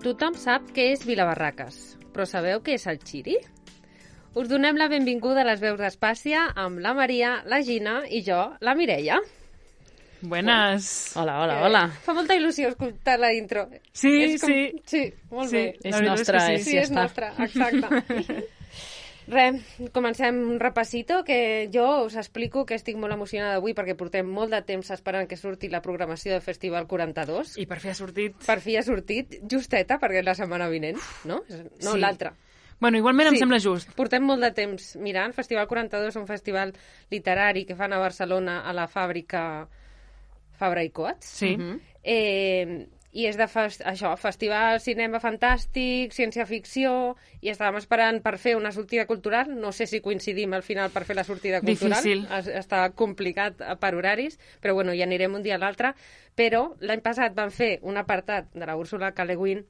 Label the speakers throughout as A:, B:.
A: Tothom sap què és Vilabarraques, però sabeu què és el Xiri? Us donem la benvinguda a les veus d'Espàcia amb la Maria, la Gina i jo, la Mireia.
B: Buenas.
C: Hola.
A: Fa molta il·lusió escoltar la intro.
B: Sí.
A: Sí, molt bé.
C: És nostra,
B: és que
A: Sí, és nostra, exacte. Res, comencem un repasito que jo us explico que estic molt emocionada avui perquè portem molt de temps esperant que surti la programació del Festival 42.
B: I per fi ha sortit.
A: Per fi ha sortit, justeta, perquè és la setmana vinent, no? No,
B: Sí.
A: l'altra.
B: Bueno, igualment em sembla just.
A: Portem molt de temps mirant. Festival 42 és un festival literari que fan a Barcelona a la fàbrica Fabra i Coats.
B: Sí.
A: I és de festival cinema fantàstic, ciència-ficció, i estàvem esperant per fer una sortida cultural. No sé si coincidim al final per fer la sortida cultural.
B: Difícil.
A: Està complicat per horaris, però bueno, hi anirem un dia a l'altre. Però l'any passat van fer un apartat de la Úrsula K. Le Guin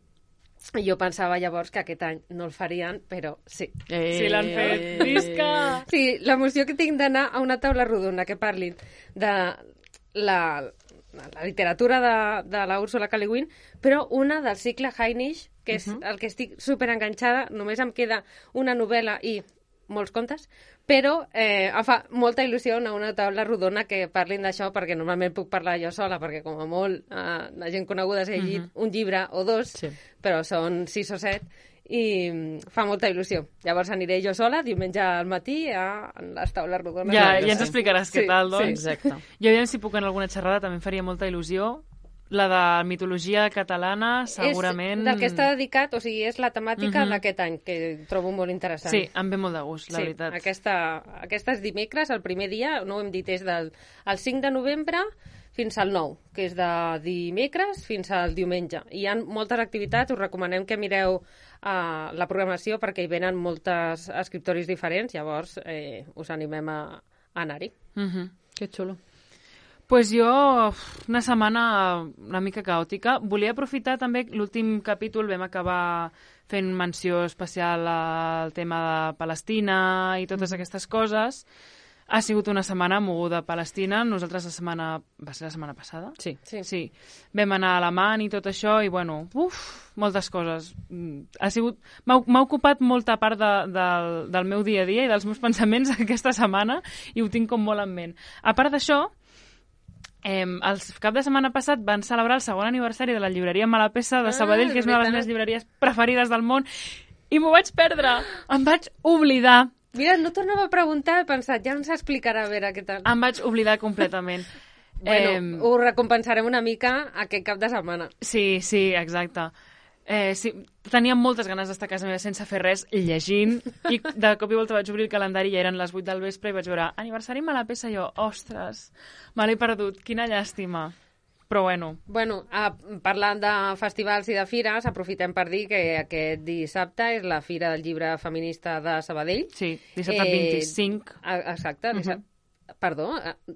A: i jo pensava llavors que aquest any no el farien, però sí.
B: Sí, l'han fet. Visca!
A: Sí, l'emoció que tinc d'anar a una taula rodona que parlin de la literatura de la Úrsula K. Le Guin, però una del cicle Hainish, que és el que estic superenganxada. Només em queda una novel·la i molts contes, però em fa molta il·lusió anar a una taula rodona que parlin d'això, perquè normalment puc parlar jo sola, perquè com a molt la gent coneguda s'ha llegit un llibre o dos,
C: Sí.
A: però són 6 o 7, i fa molta il·lusió. Llavors aniré jo sola diumenge al matí a les taules rodones.
B: Ja ens explicaràs què tal, doncs.
C: Exacte.
B: Jo aviam si puc en alguna xerrada, també em faria molta il·lusió. La de mitologia catalana, segurament...
A: És del que està dedicat, o sigui, és la temàtica d'aquest any, que trobo molt interessant.
B: Sí, em ve molt de gust, la veritat.
A: Aquesta és dimecres, el primer dia, no ho hem dit, és el 5 de novembre fins al 9, que és de dimecres fins al diumenge. I hi ha moltes activitats, us recomanem que mireu la programació perquè hi venen moltes escriptoris diferents, llavors us animem a anar-hi.
C: Que xulo.
B: Pues jo, una setmana una mica caòtica. Volia aprofitar també, l'últim capítol vam acabar fent menció especial al tema de Palestina i totes aquestes coses. Ha sigut una setmana moguda a Palestina. Nosaltres va ser la setmana passada?
C: Sí.
B: Vam anar a Alamán i tot això i, bueno, moltes coses. M'ha ocupat molta part del meu dia a dia i dels meus pensaments aquesta setmana i ho tinc com molt en ment. A part d'això, el cap de setmana passat van celebrar el segon aniversari de la llibreria Malapesa de Sabadell, que és una de les meves llibreries preferides del món, i m'ho vaig perdre. Em vaig oblidar.
A: Mira, no tornava a preguntar, he pensat, ja ens explicarà a veure què tal.
B: Em vaig oblidar completament.
A: Bueno, ho recompensarem una mica aquest cap de setmana.
B: Sí, exacte. Sí, tenia moltes ganes d'estar a casa meva sense fer res, llegint, i de cop i volta vaig obrir el calendari i eren les 8 del vespre i vaig veure aniversari Malapesa i jo, ostres, me l'he perdut, quina llàstima. Però bueno.
A: Bueno, parlant de festivals i de fires, aprofitem per dir que aquest dissabte és la Fira del Llibre Feminista de Sabadell.
B: Sí, dissabte 25.
A: Exacte, Perdó,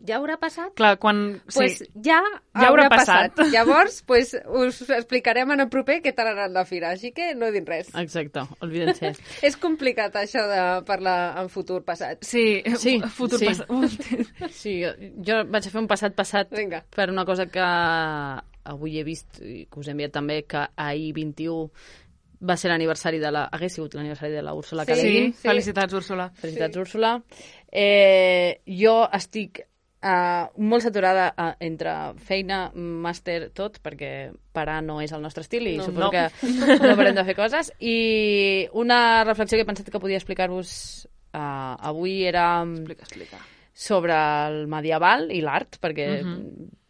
A: ja haurà passat?
B: Clar, quan...
A: Pues
B: sí.
A: ja haurà passat. Llavors, pues, us explicarem en el proper què tal ha anat la fira, així que no he dit res.
C: Exacte, olvídense.
A: És complicat això de parlar en futur passat.
B: Sí. Futur
C: sí.
B: passat.
C: Sí, jo vaig fer un passat
A: Vinga.
C: per una cosa que avui he vist i que us he enviat també, que ahir 21 va ser l'aniversari hagués sigut l'aniversari de la Úrsula K. Le Guin.
B: Sí, felicitats, Úrsula.
C: Felicitats, Úrsula. Jo estic molt saturada entre feina, màster, tot, perquè parar no és el nostre estil i suposo que no parem de fer coses. I una reflexió que he pensat que podia explicar-vos avui era
B: Explica.
C: sobre el medieval i l'art, perquè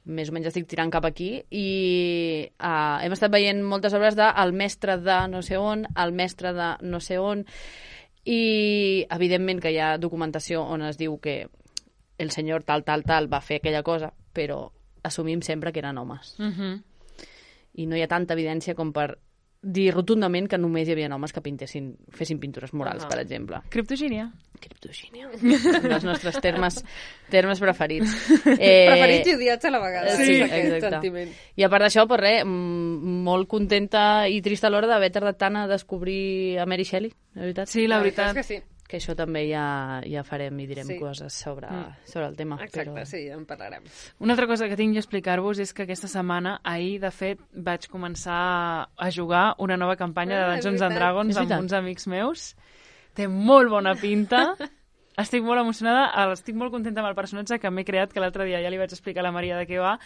C: més o menys estic tirant cap aquí, i hem estat veient moltes obres de el mestre de no sé on, el mestre de no sé on, i evidentment que hi ha documentació on es diu que el senyor tal va fer aquella cosa, però assumim sempre que eren homes. I no hi ha tanta evidència com per dir rotundament que només hi havia homes que fessin pintures murals, per exemple.
B: Criptogínia.
C: Un dels nostres termes preferits.
A: Preferits i odiats a la vegada.
C: Sí,
A: aquest
C: exacte.
A: sentiment.
C: I a part d'això, pues res, molt contenta i trista a l'hora d'haver tardat tant a descobrir a Mary Shelley, la veritat.
B: Sí, la veritat.
A: És que sí.
C: Que això també ja farem i direm coses sobre el tema.
A: Exacte, sí, en parlarem.
B: Una altra cosa que tinc a explicar-vos és que aquesta setmana, ahir, de fet, vaig començar a jugar una nova campanya de Dungeons and Dragons amb uns amics meus. Té molt bona pinta. Estic molt emocionada, estic molt contenta amb el personatge que m'he creat, que l'altre dia ja li vaig explicar a la Maria de què va.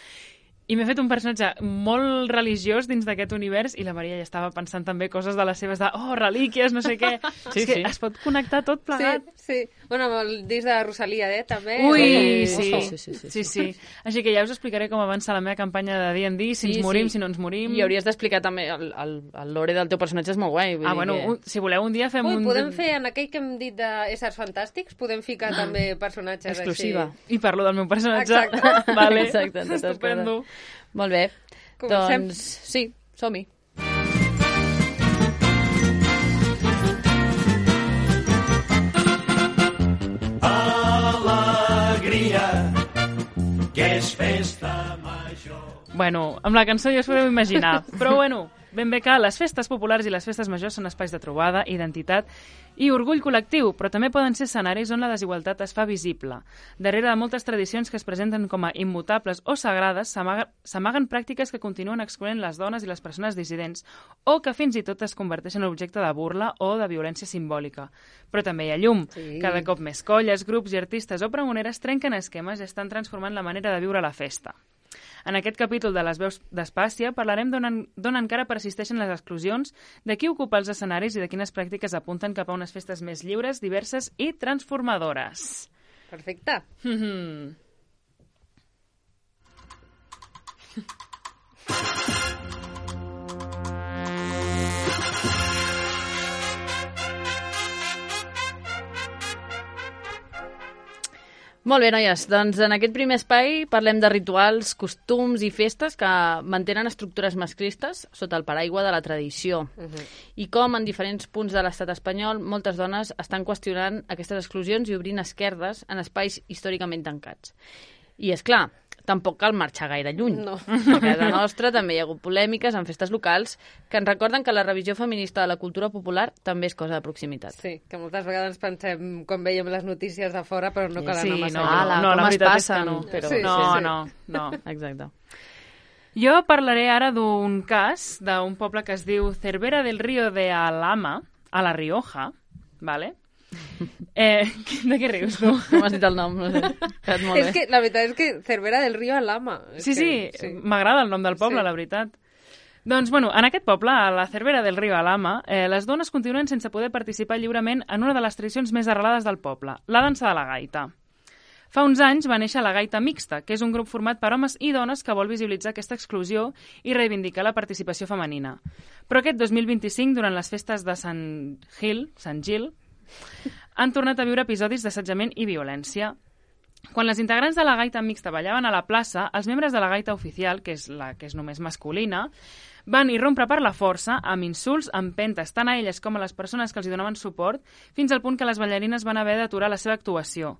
B: I m'he fet un personatge molt religiós dins d'aquest univers i la Maria ja estava pensant també coses de les seves relíquies, no sé què. És que es pot connectar tot plegat.
A: Sí. Bueno, amb el disc de Rosalia, també.
B: Ui, sí. Així que ja us explicaré com avança la meva campanya de D&D, si ens morim, si no ens morim.
C: I hauries d'explicar també el lore del teu personatge, és molt guai.
B: Si voleu un dia fem
A: podem fer, en aquell que hem dit d'éssers fantàstics, podem ficar també personatges
C: exclusiva.
A: així.
B: I parlo del meu personatge.
A: Exacte.
B: Vale.
C: Exacte.
B: Estupendo.
C: Molt bé.
A: Comencem.
C: Doncs sí, som-hi.
D: Alegria, que és festa major.
B: Bueno, amb la cançó ja us podeu imaginar. Però bueno, ben bé que les festes populars i les festes majors són espais de trobada, identitat i orgull col·lectiu, però també poden ser escenaris on la desigualtat es fa visible. Darrere de moltes tradicions que es presenten com a immutables o sagrades, s'amaguen pràctiques que continuen excloent les dones i les persones dissidents, o que fins i tot es converteixen en objecte de burla o de violència simbòlica. Però també hi ha llum. Cada cop més colles, grups i artistes o pregoneres trenquen esquemes i estan transformant la manera de viure la festa. En aquest capítol de les veus d'Espàcia parlarem d'on encara persisteixen les exclusions, de qui ocupa els escenaris i de quines pràctiques apunten cap a unes festes més lliures, diverses i transformadores.
A: Perfecte.
C: Molt bé, noies. Doncs en aquest primer espai parlem de rituals, costums i festes que mantenen estructures masclistes sota el paraigua de la tradició. I com en diferents punts de l'estat espanyol moltes dones estan qüestionant aquestes exclusions i obrint esquerdes en espais històricament tancats. I és clar, tampoc cal marxar gaire lluny.
A: No.
C: A casa nostra també hi ha hagut polèmiques en festes locals que ens recorden que la revisió feminista de la cultura popular també és cosa de proximitat.
A: Sí, que moltes vegades pensem quan veiem les notícies de fora, però no cal anar massa
B: no,
C: com
B: la
C: es
B: veritat
C: passen,
B: és que no.
C: Però...
B: No.
C: Exacte.
B: Jo parlaré ara d'un cas d'un poble que es diu Cervera del Río de Alhama, a La Rioja, ¿vale? De què rius, tu?
C: Com has dit el nom? No sé. Molt bé.
A: És que la veritat és que Cervera del Río Alhama.
B: Sí, m'agrada el nom del poble, la veritat. Doncs, bueno, en aquest poble, a la Cervera del Río Alhama, les dones continuen sense poder participar lliurement en una de les tradicions més arrelades del poble, la dansa de la gaita. Fa uns anys va néixer la Gaita Mixta, que és un grup format per homes i dones que vol visibilitzar aquesta exclusió i reivindicar la participació femenina. Però aquest 2025, durant les festes de Sant Gil, han tornat a viure episodis d'assetjament i violència. Quan les integrants de la Gaita Mixta ballaven a la plaça, els membres de la Gaita Oficial, que és la que és només masculina, van irrompre per la força amb insults, empentes, tant a elles com a les persones que els hi donaven suport, fins al punt que les ballarines van haver d'aturar la seva actuació.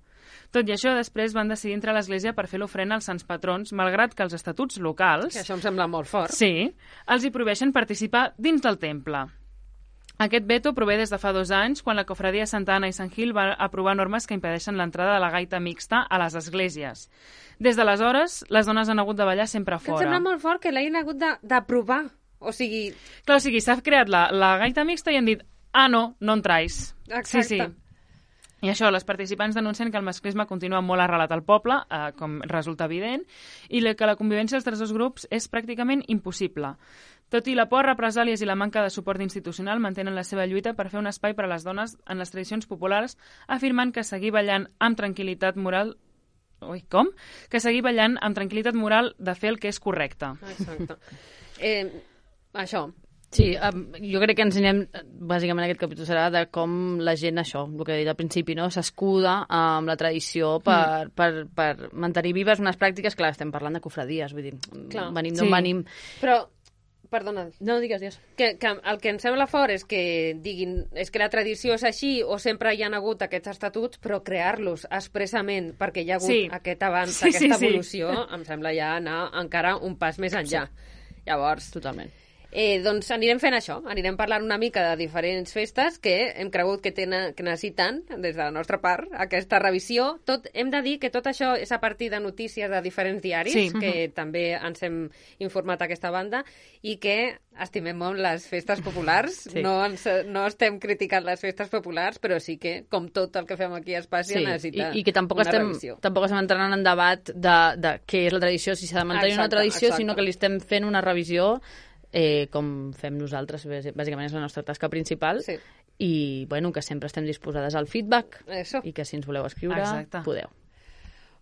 B: Tot i això, després van decidir entrar a l'església per fer l'ofrena als sants patrons, malgrat que els estatuts locals...
A: Que això em sembla molt fort.
B: Sí, els hi prohibeixen participar dins del temple. Aquest veto prové des de fa 2 anys, quan la cofradia Santa Anna i Sant Gil va aprovar normes que impedeixen l'entrada de la gaita mixta a les esglésies. Des d'aleshores, les dones han hagut de ballar sempre
A: Que
B: fora.
A: em sembla molt fort que l'hagin hagut d'aprovar. O sigui...
B: Clar, o sigui, s'ha creat la gaita mixta i han dit no entrais.
A: Exacte.
B: Sí. I això, les participants denuncien que el masclisme continua molt arrelat al poble, com resulta evident, i que la convivència dels dos grups és pràcticament impossible. Tot i la por a represàlies i la manca de suport institucional, mantenen la seva lluita per fer un espai per a les dones en les tradicions populars, afirmant que seguir ballant amb tranquil·litat moral... Que seguir ballant amb tranquil·litat moral de fer el que és correcte.
A: Exacte. Això.
C: Sí, jo crec que ensenyem, bàsicament aquest capítol serà de com la gent, això, el que he dit al principi, no? S'escuda amb la tradició per mantenir vives unes pràctiques, clar, estem parlant de cofradies, vull dir, venim d'on venim.
A: Però, perdona,
C: no, digues.
A: Que el que em sembla fort és que diguin, és que la tradició és així o sempre hi ha hagut aquests estatuts, però crear-los expressament perquè hi ha hagut aquest avanç, aquesta evolució, em sembla ja anar encara un pas més enllà. Llavors,
C: totalment.
A: Doncs anirem fent això, anirem parlant una mica de diferents festes que hem cregut que necessiten, des de la nostra part, aquesta revisió. Hem de dir que tot això és a partir de notícies de diferents diaris, que també ens hem informat a aquesta banda, i que estimem molt les festes populars. No estem criticant les festes populars, però sí que, com tot el que fem aquí a Espàcia, necessita
C: i que tampoc
A: revisió.
C: Tampoc estem entrant en debat de què és la tradició, si s'ha de mantenir una tradició, sinó que li estem fent una revisió com fem nosaltres, bàsicament és la nostra tasca principal, i bueno, que sempre estem disposades al feedback, i que si ens voleu escriure, podeu.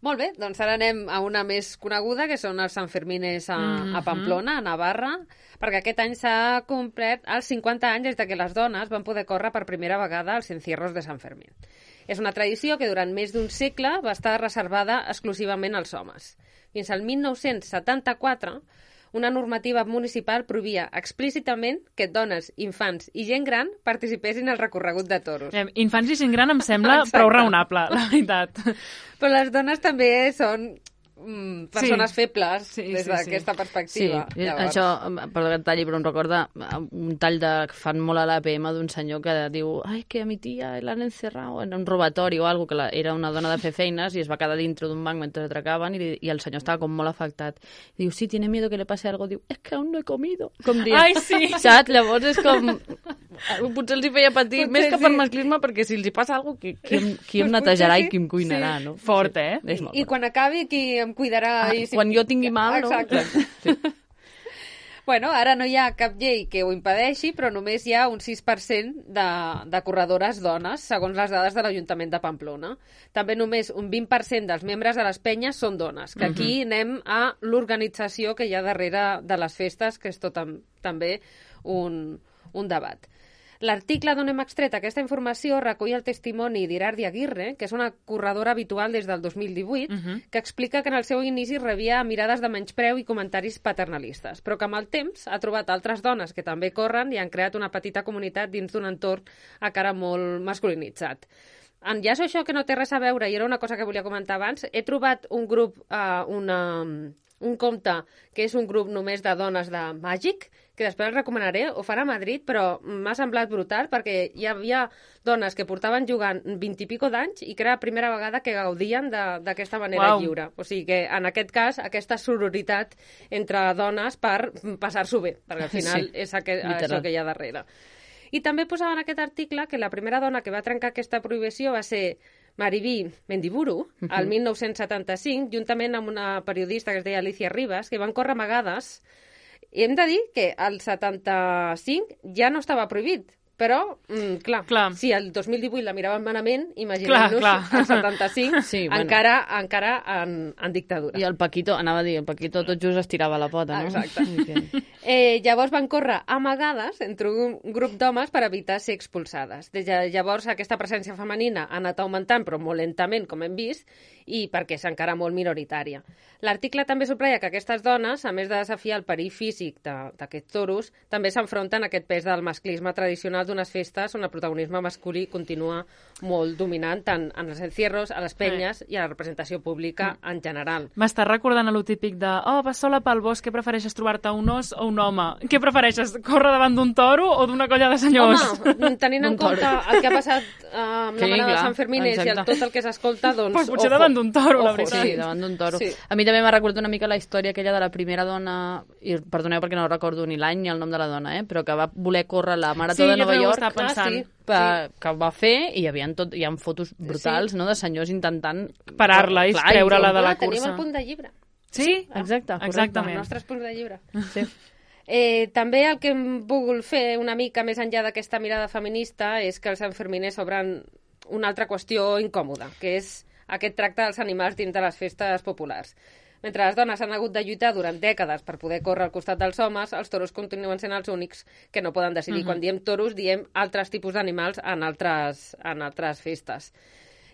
A: Molt bé, doncs ara anem a una més coneguda, que són els Sanfermines a Pamplona, a Navarra, perquè aquest any s'ha complert els 50 anys des que les dones van poder córrer per primera vegada als encierros de Sant Fermín. És una tradició que durant més d'un segle va estar reservada exclusivament als homes. Fins al 1974, una normativa municipal prohibia explícitament que dones, infants i gent gran participessin al recorregut de toros.
B: Infants i gent gran em sembla prou raonable, la veritat.
A: Però les dones també són persones febles des d'aquesta perspectiva.
C: Sí, això, perdó que et talli, però em recorda un tall que fan molt a l'APM d'un senyor que diu que a mi tia l'han encerrado en un robatori o alguna cosa, que era una dona de fer feines i es va quedar dintre d'un banc mentre atracaven i el senyor estava com molt afectat. I diu, sí, tiene miedo que le pase algo. Diu, es que aún no he comido. Com diu,
B: ai, sí.
C: Saps? Llavors és com... Potser els hi feia patir, més que per masclisme, perquè si els hi passa alguna cosa, qui em netejarà i qui em cuinarà, no?
B: Fort,
A: I quan acabi, qui em cuidarà?
C: Quan jo tingui mal, no?
A: Exacte. Sí. Bueno, ara no hi ha cap llei que ho impedeixi, però només hi ha un 6% de corredores dones, segons les dades de l'Ajuntament de Pamplona. També només un 20% dels membres de les penyes són dones, que aquí anem a l'organització que hi ha darrere de les festes, que és tot també un debat. L'article d'on hem extret aquesta informació recull el testimoni d'Irardi Aguirre, que és una corredora habitual des del 2018, que explica que en el seu inici rebia mirades de menyspreu i comentaris paternalistes, però que amb el temps ha trobat altres dones que també corren i han creat una petita comunitat dins d'un entorn encara molt masculinitzat. Enllaço això que no té res a veure, i era una cosa que volia comentar abans, he trobat un grup, un compte que és un grup només de dones de Màgic, que després el recomanaré, ho fan a Madrid, però m'ha semblat brutal perquè hi havia dones que portaven jugant 20 i pico d'anys i que era la primera vegada que gaudien d'aquesta manera lliure. O sigui que, en aquest cas, aquesta sororitat entre dones per passar-s'ho bé, perquè al final és això que hi ha darrere. I també posava en aquest article que la primera dona que va trencar aquesta prohibició va ser Maribí Mendiburu, al 1975, juntament amb una periodista que es deia Alicia Ribas, que van córrer amagades. I hem de dir que al 75 ja no estava prohibit, però, clar, si el 2018 la miraven malament, imaginem-nos el 75 encara en dictadura.
C: I el Paquito, anava a dir, el Paquito tot just estirava la pota, no?
A: Exacte. Llavors van córrer amagades entre un grup d'homes per evitar ser expulsades. Des de llavors aquesta presència femenina ha anat augmentant, però molt lentament, com hem vist, i perquè és encara molt minoritària. L'article també subratlla que aquestes dones, a més de desafiar el perill físic d'aquests toros, també s'enfronten a aquest pes del masclisme tradicional d'unes festes on el protagonisme masculí continua molt dominant tant en els encierros, a les penyes i a la representació pública en general.
B: M'està recordant a lo típic de vas sola pel bosc, què prefereixes, trobar-te un os o un home? Què prefereixes, córrer davant d'un toro o d'una colla de senyors?
A: Home, tenint en compte el que ha passat amb la manada de Sant Fermines i tot el que s'escolta, doncs...
B: Pues potser davant d'un toro, la veritat.
C: Sí, davant d'un toro. Sí. A mi també m'ha recordat una mica la història aquella de la primera dona, i perdoneu perquè no recordo ni l'any ni el nom de la dona, però que va voler córrer la Marató de Nova York, que va fer, i hi ha fotos brutals, no?, de senyors intentant
B: parar-la i treure-la de la cursa.
A: Tenim el punt de llibre.
B: Sí,
C: exactament.
A: Els nostres punts de llibre. Sí. També el que hem volgut fer una mica més enllà d'aquesta mirada feminista és que els sanferminers obren una altra qüestió incòmoda, que és aquest tracte dels animals dins de les festes populars. Mentre les dones han hagut de lluitar durant dècades per poder córrer al costat dels homes, els toros continuen sent els únics que no poden decidir. Quan diem toros, diem altres tipus d'animals en altres festes.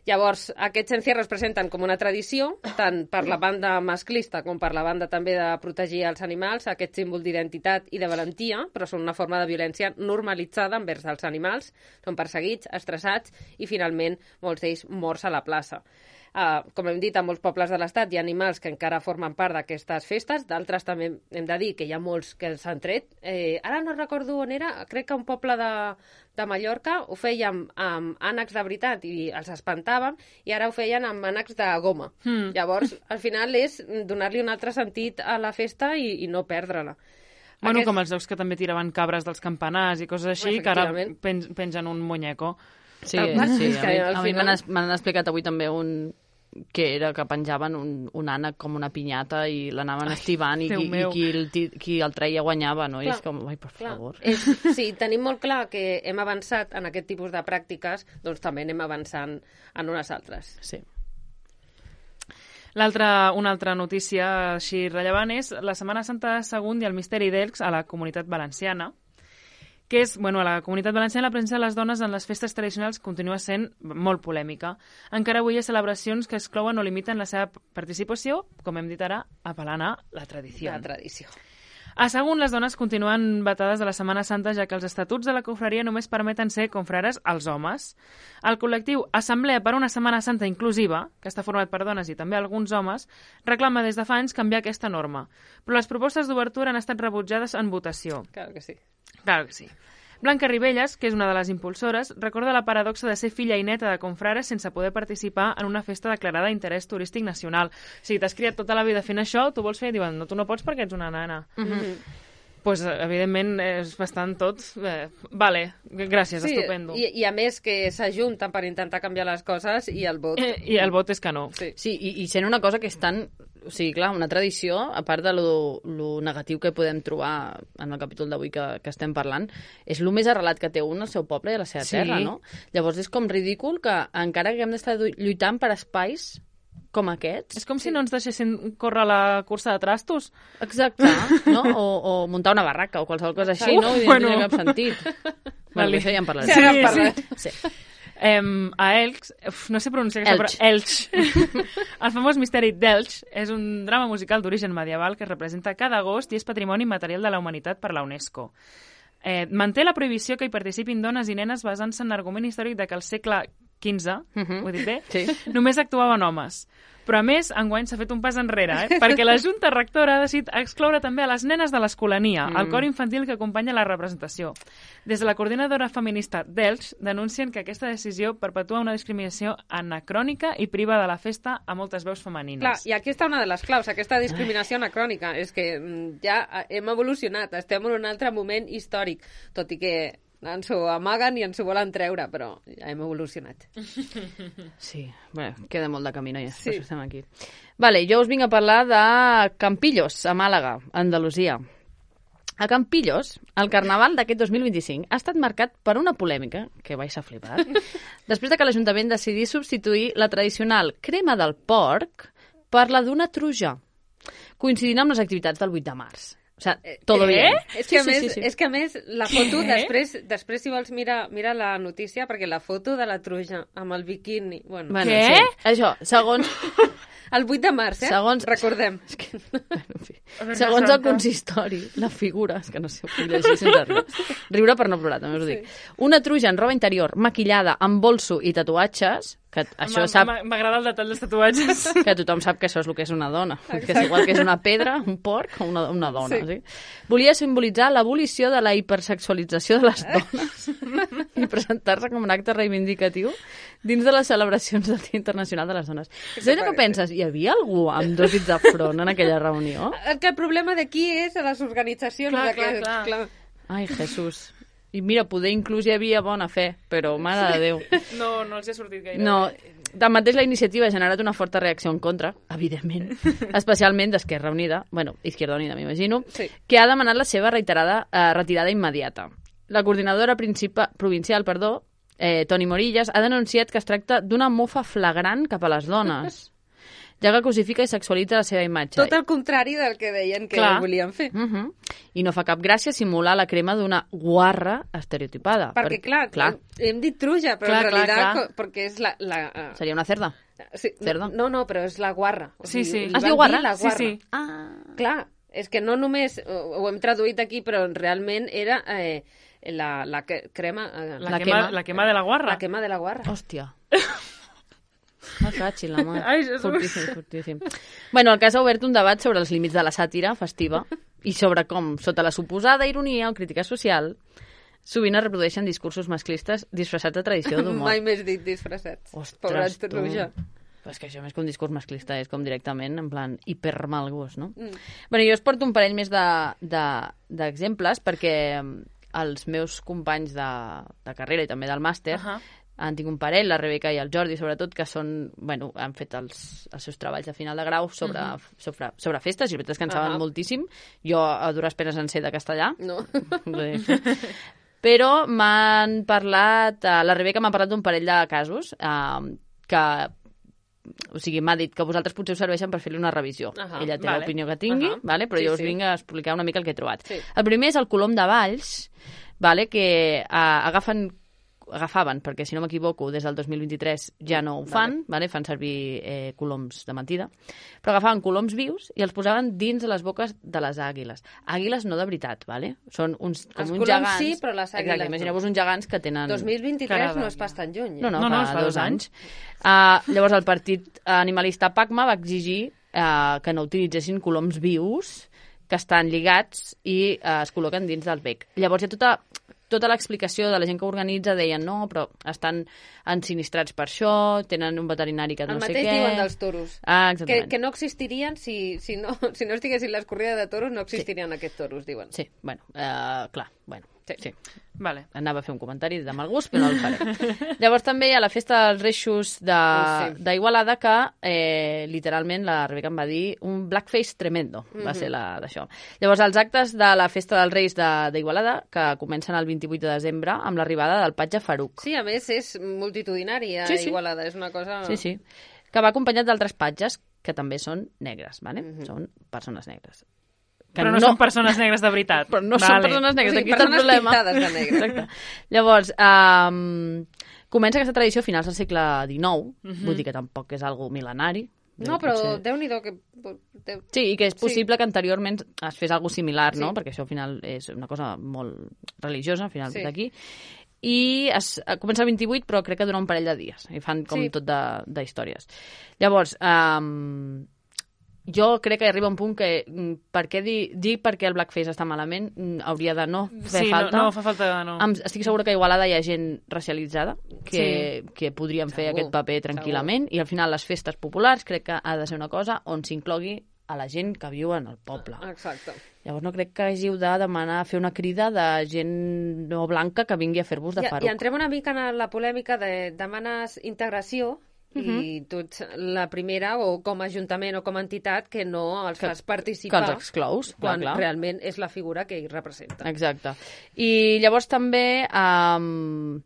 A: Llavors, aquests encierros presenten com una tradició, tant per la banda masclista com per la banda també de protegir els animals, aquest símbol d'identitat i de valentia, però són una forma de violència normalitzada envers els animals, són perseguits, estressats i, finalment, molts d'ells morts a la plaça. com hem dit, a molts pobles de l'Estat hi ha animals que encara formen part d'aquestes festes, d'altres també hem de dir que hi ha molts que s'han tret. Ara no recordo on era, crec que un poble de Mallorca ho fèiem amb ànecs de veritat i els espantàvem, i ara ho feien amb ànecs de goma. Llavors, al final és donar-li un altre sentit a la festa i no perdre-la.
B: Bueno, com els jocs que també tiraven cabres dels campanars i coses així, que ara pengen un muñeco.
C: Sí,
A: És que
C: a mi
A: al
C: m'han explicat avui també que era que penjaven un ànec com una pinyata i l'anaven estivant i qui el treia guanyava, no? I és com, ai, per favor.
A: Sí, tenim molt clar que hem avançat en aquest tipus de pràctiques, doncs també anem avançant en unes altres.
C: Sí.
B: Una altra notícia així rellevant és la Setmana Santa de Sagunt i el Misteri d'Elx a la Comunitat Valenciana, que és, a la Comunitat Valenciana la presència de les dones en les festes tradicionals continua sent molt polèmica. Encara avui hi ha celebracions que exclouen o limiten la seva participació, com hem dit ara, apel·lant a la tradició.
A: La tradició.
B: A Sagunt, les dones continuen vetades de la Setmana Santa, ja que els estatuts de la confraria només permeten ser confrares als homes. El col·lectiu Assemblea per una Setmana Santa Inclusiva, que està format per dones i també alguns homes, reclama des de fa anys canviar aquesta norma. Però les propostes d'obertura han estat rebutjades en votació.
A: Claro que sí.
B: Claro que sí. Blanca Ribelles, que és una de les impulsores, recorda la paradoxa de ser filla i neta de confrares sense poder participar en una festa declarada d'interès turístic nacional. O sigui, t'has criat tota la vida fent això, tu vols fer, i diuen, no, tu no pots perquè ets una nana. Pues, evidentment, és bastant tot... vale, gràcies, sí, estupendo.
A: I a més que s'ajunten per intentar canviar les coses i el vot...
B: I el vot és que no.
C: Sí, i sent una cosa que és tan... O sigui, clar, una tradició, a part de lo negatiu que podem trobar en el capítol d'avui que estem parlant, és el més arrelat que té un al seu poble i a la seva terra, no? Llavors és com ridícul que encara que hem d'estar lluitant per espais com aquests... És
B: com si no ens deixessin córrer la cursa de trastos.
C: Exacte, no? O muntar una barraca o qualsevol cosa així, no? I no té cap sentit. Bueno, això ja en parlarem. Sí.
B: A Elx, no sé pronunciar aquesta paraula, Elx. El famós Misteri d'Elx és un drama musical d'origen medieval que es representa cada agost i és patrimoni material de la humanitat per la UNESCO. Manté la prohibició que hi participin dones i nenes basant-se en l'argument històric de que al segle XV, ho he dit bé,
C: sí,
B: només actuaven homes. Però, a més, enguany s'ha fet un pas enrere, perquè la Junta Rectora ha decidit excloure també a les nenes de l'escolania, el cor infantil que acompanya la representació. Des de la coordinadora feminista d'Elx denuncien que aquesta decisió perpetua una discriminació anacrònica i priva de la festa a moltes veus femenines.
A: Clar, i aquí està una de les claus, aquesta discriminació anacrònica. És que ja hem evolucionat, estem en un altre moment històric, tot i que ens ho amaguen i ens ho volen treure, però ja hem evolucionat.
C: Sí, bé, queda molt de camí, ja, sí. Per això estem aquí. Vale, jo us vinc a parlar de Campillos, a Màlaga, Andalusia. A Campillos, el carnaval d'aquest 2025 ha estat marcat per una polèmica, que vais a flipar, després de que l'Ajuntament decidís substituir la tradicional crema del porc per la d'una truja, coincidint amb les activitats del 8 de març. O sigui, todo bien.
A: És que, és que a més, la foto, després si vols mira la notícia, perquè la foto de la truja amb el biquini... Bueno,
B: què?
C: Sí. Això, segons...
A: El 8 de març, recordem.
C: És que... Bueno, en fi. Segons el consistori, la figura... És que no sé, ho puc llegir sense riure. Riure per no plorar, també us ho dic. Una truja en roba interior, maquillada, amb bolso i tatuatges... Que això sap...
B: M'agrada el detall dels tatuatges.
C: Que tothom sap que això és el que és una dona. Exacte. Que és igual que és una pedra, un porc o una dona. Sí. Sí? Volia simbolitzar l'abolició de la hipersexualització de les dones i presentar-se com un acte reivindicatiu dins de les celebracions del Dia Internacional de les Dones. És allò que penses, hi havia algú amb dos dits de front en aquella reunió?
A: Que el problema d'aquí és a les organitzacions.
B: Clar.
C: Ai, Jesús. I mira, poder inclús hi havia bona fe, però mare de Déu.
B: No els ha sortit gaire.
C: No, tanmateix la iniciativa ha generat una forta reacció en contra, evidentment, especialment d'Esquerra Unida, Izquierda Unida m'imagino, sí, que ha demanat la seva retirada immediata. La coordinadora provincial, Toni Morillas, ha denunciat que es tracta d'una mofa flagrant cap a les dones, ja que cosifica i sexualitza la seva imatge.
A: Tot el contrari del que deien que volien fer.
C: I no fa cap gràcia simular la crema d'una guarra estereotipada.
A: Perquè clar, hem dit truja, però en realitat perquè és la...
C: Seria una cerda?
A: Sí, cerda? No, però és la guarra.
B: Sí.
C: Es diu guarra?
B: Sí.
A: Clar, és que no només ho hem traduït aquí, però realment era la crema...
B: La quema de la guarra.
A: La quema de la guarra.
C: Hòstia. Me cachi la mà.
B: Ai, Jesús.
C: Fortíssim, fortíssim. Bueno, el cas ha obert un debat sobre els límits de la sàtira festiva i sobre com, sota la suposada ironia o crítica social, sovint es reprodueixen discursos masclistes disfressats de tradició d'humor.
A: Mai més dit disfressats.
C: Ostres,
A: Pobret
C: tu.
A: Truja.
C: Però és que això més que un discurs masclista és com directament, en plan, hipermal gust, no? Bueno, jo us porto un parell més d'exemples perquè els meus companys de carrera i també del màster han tingut un parell, la Rebeca i el Jordi, sobretot, que són, bueno, han fet els seus treballs de final de grau sobre festes, i la veritat és que en saben moltíssim. Jo a dures penes en sé de castellà.
A: No.
C: Però m'han parlat, la Rebeca m'ha parlat d'un parell de casos que, o sigui, m'ha dit que vosaltres potser us serveixen per fer-li una revisió. Ella té l'opinió que tingui, vale? Però jo us vinc a explicar una mica el que he trobat.
A: Sí.
C: El primer és el Colom de Valls, vale? Que agafaven, perquè si no m'equivoco, des del 2023 ja no ho fan, vale? Fan servir coloms de mentida, però agafaven coloms vius i els posaven dins de les boques de les àguiles. Àguiles no de veritat, vale? Són uns, com
A: Els
C: uns
A: coloms
C: gegants.
A: sí, però les àguiles
C: Exacte, imagineu-vos uns gegants que tenen...
A: 2023 no és pas tan lluny.
C: No,
B: No,
C: fa 2 anys. Llavors el partit animalista PACMA va exigir que no utilitzessin coloms vius que estan lligats i es col·loquen dins del bec. Llavors hi ha tota l'explicació de la gent que organitza, deien no, però estan ensinistrats per això, tenen un veterinari que no sé què...
A: El mateix diuen dels toros.
C: Exactament.
A: Que no existirien si no estiguessin les corrides de toros, no existirien aquests toros, diuen.
C: Sí, bueno, clar, bueno, sí.
B: Vale.
C: Anava a fer un comentari de mal gust, però no el faré. Llavors també hi ha la festa dels Reixos d'Igualada que literalment la Rebeca em va dir un blackface tremendo, va ser d'això. Llavors els actes de la festa dels Reis d'Igualada que comencen el 28 de desembre amb l'arribada del patge Faruc.
A: Sí, a més és multitudinari a Igualada, és una cosa...
C: Sí, que va acompanyat d'altres patges que també són negres, ¿vale? Són persones negres.
B: Però no són persones negres de veritat.
C: Però no són persones negres,
A: Sí,
C: aquí està el
A: persones
C: problema.
A: pintades de negre.
C: Exacte. Llavors, comença aquesta tradició a finals del segle XIX, vull dir que tampoc és algo mil·lenari.
A: No, però
C: Potser...
A: Déu-n'hi-do que...
C: Sí, i que és possible que anteriorment es fes alguna similar, no? Perquè això al final és una cosa molt religiosa, al final d'aquí. I comença el 28, però crec que dura un parell de dies. I fan com tot d'històries. Llavors, jo crec que arriba un punt que per què dir perquè el blackface està malament hauria de no fer falta.
B: No fa falta, no.
C: Estic segura que a Igualada hi ha gent racialitzada que podrien fer aquest paper tranquil·lament i al final les festes populars crec que ha de ser una cosa on s'inclogui a la gent que viu en el poble.
A: Exacte.
C: Llavors no crec que hàgiu de demanar fer una crida de gent no blanca que vingui a fer-vos de Faruc.
A: I entrem una mica en la polèmica de demanes integració i tu ets la primera, o com a ajuntament o com a entitat, que no els fas participar.
C: Que els exclous,
A: quan
C: clar.
A: realment és la figura que hi representa.
C: Exacte. I llavors també un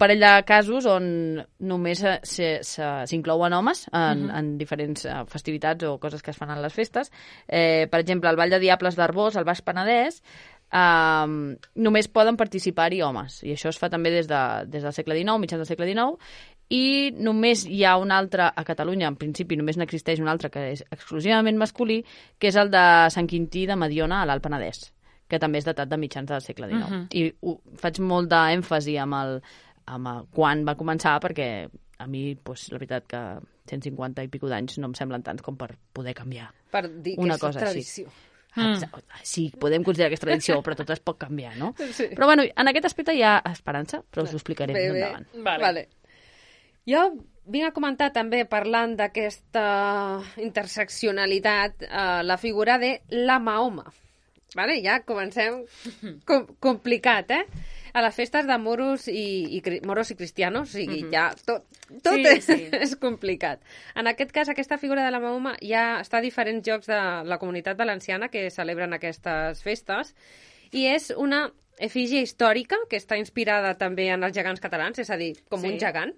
C: parell de casos on només s'inclouen homes en diferents festivitats o coses que es fan a les festes. Per exemple, el Ball de Diables d'Arbós, al Baix Penedès, només poden participar-hi homes. I això es fa també des del segle XIX, mitjans del segle XIX, i només hi ha un altre a Catalunya, en principi només n'existeix un altre que és exclusivament masculí, que és el de Sant Quintí de Mediona a l'Alt Penedès, que també és datat de mitjans del segle XIX. I faig molt d'èmfasi amb quan va començar, perquè a mi, la veritat que 150 i pico d'anys no em semblen tants com per poder canviar
A: per dir que
C: una
A: és
C: cosa
A: tradició.
C: Així. Sí, podem considerar que és tradició, però tot es pot canviar, no?
A: Sí.
C: Però bueno, en aquest aspecte hi ha esperança, però us ho explicaré més endavant.
A: Vale. Jo vinc a comentar també, parlant d'aquesta interseccionalitat, la figura de la Mahoma. Vale? Ja comencem complicat, A les festes de moros i cristianos, o sigui, ja tot és complicat. En aquest cas, aquesta figura de la Mahoma ja està a diferents llocs de la Comunitat Valenciana que celebren aquestes festes, i és una efígie històrica que està inspirada també en els gegants catalans, és a dir, com un gegant.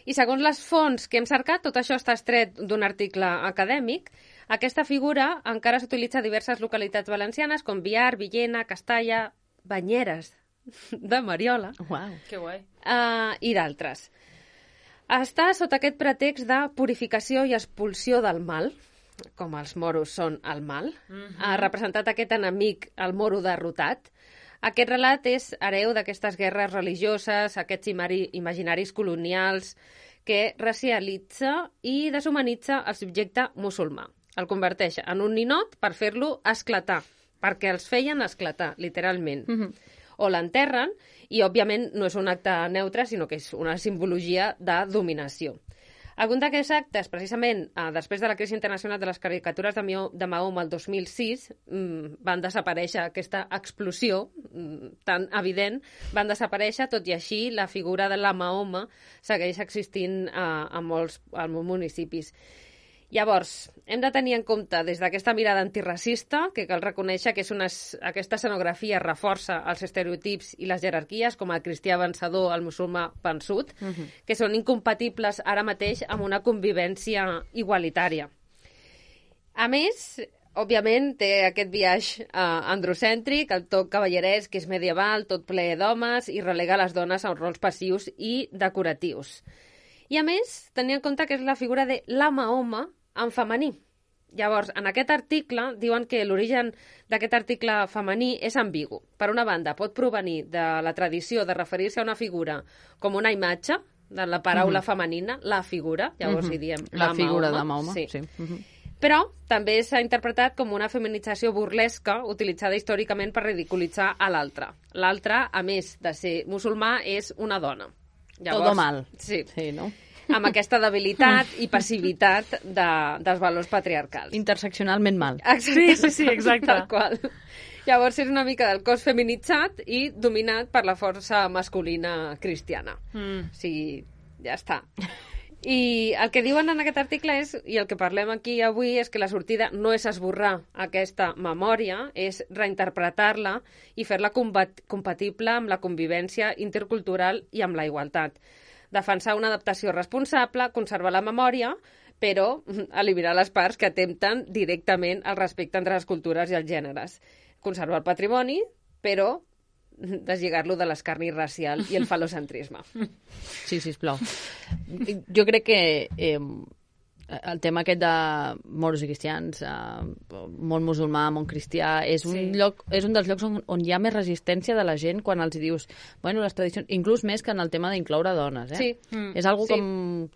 A: I segons les fonts que hem cercat, tot això està extret d'un article acadèmic. Aquesta figura encara s'utilitza a diverses localitats valencianes, com Biar, Villena, Castalla, Banyeres de Mariola.
C: Uau,
B: que guai.
A: I d'altres. Està sota aquest pretext de purificació i expulsió del mal, com els moros són el mal. Ha representat aquest enemic, el moro derrotat. Aquest relat és hereu d'aquestes guerres religioses, aquests imaginaris colonials que racialitza i deshumanitza el subjecte musulmà. El converteix en un ninot per fer-lo esclatar, perquè els feien esclatar, literalment. O l'enterren, i òbviament no és un acte neutre, sinó que és una simbologia de dominació. Alguns d'aquests actes, precisament, després de la crisi internacional de les caricatures de Mahoma el 2006, van desaparèixer aquesta explosió tan evident, van desaparèixer, tot i així la figura de la Mahoma segueix existint a molts municipis. Llavors, hem de tenir en compte, des d'aquesta mirada antiracista, que cal reconèixer que aquesta escenografia reforça els estereotips i les jerarquies, com el cristià vencedor, el musulmà vençut, que són incompatibles ara mateix amb una convivència igualitària. A més, òbviament, té aquest viatge androcèntric, el toc cavallerès, que és medieval, tot ple d'homes, i relega les dones a rols passius i decoratius. I a més, tenir en compte que és la figura de la Mahoma en femení. Llavors, en aquest article diuen que l'origen d'aquest article femení és ambigu. Per una banda, pot provenir de la tradició de referir-se a una figura com una imatge, de la paraula femenina, la figura, llavors hi diem
C: la figura de Mahoma.
A: Sí. Però també s'ha interpretat com una feminització burlesca utilitzada històricament per ridiculitzar a l'altre. L'altre, a més de ser musulmà, és una dona.
C: Llavors, todo mal.
A: Sí,
C: no?
A: Amb aquesta debilitat i passivitat dels valors patriarcals.
C: Interseccionalment mal.
B: Sí, exacte.
A: Tal qual. Llavors és una mica del cos feminitzat i dominat per la força masculina cristiana. O sigui, ja està. I el que diuen en aquest article és, i el que parlem aquí avui, és que la sortida no és esborrar aquesta memòria, és reinterpretar-la i fer-la compatible amb la convivència intercultural i amb la igualtat. Defensar una adaptació responsable, conservar la memòria, però eliminar les parts que atempten directament al respecte entre les cultures i els gèneres. Conservar el patrimoni, però deslligar-lo de l'escarni racial i el falocentrisme.
C: Sí, sisplau. Jo crec que el tema aquest de moros i cristians, món musulmà, món cristià, és un dels llocs on hi ha més resistència de la gent quan els dius, bueno, les tradicions, inclús més que en el tema d'incloure dones,
A: Sí.
C: És algo com...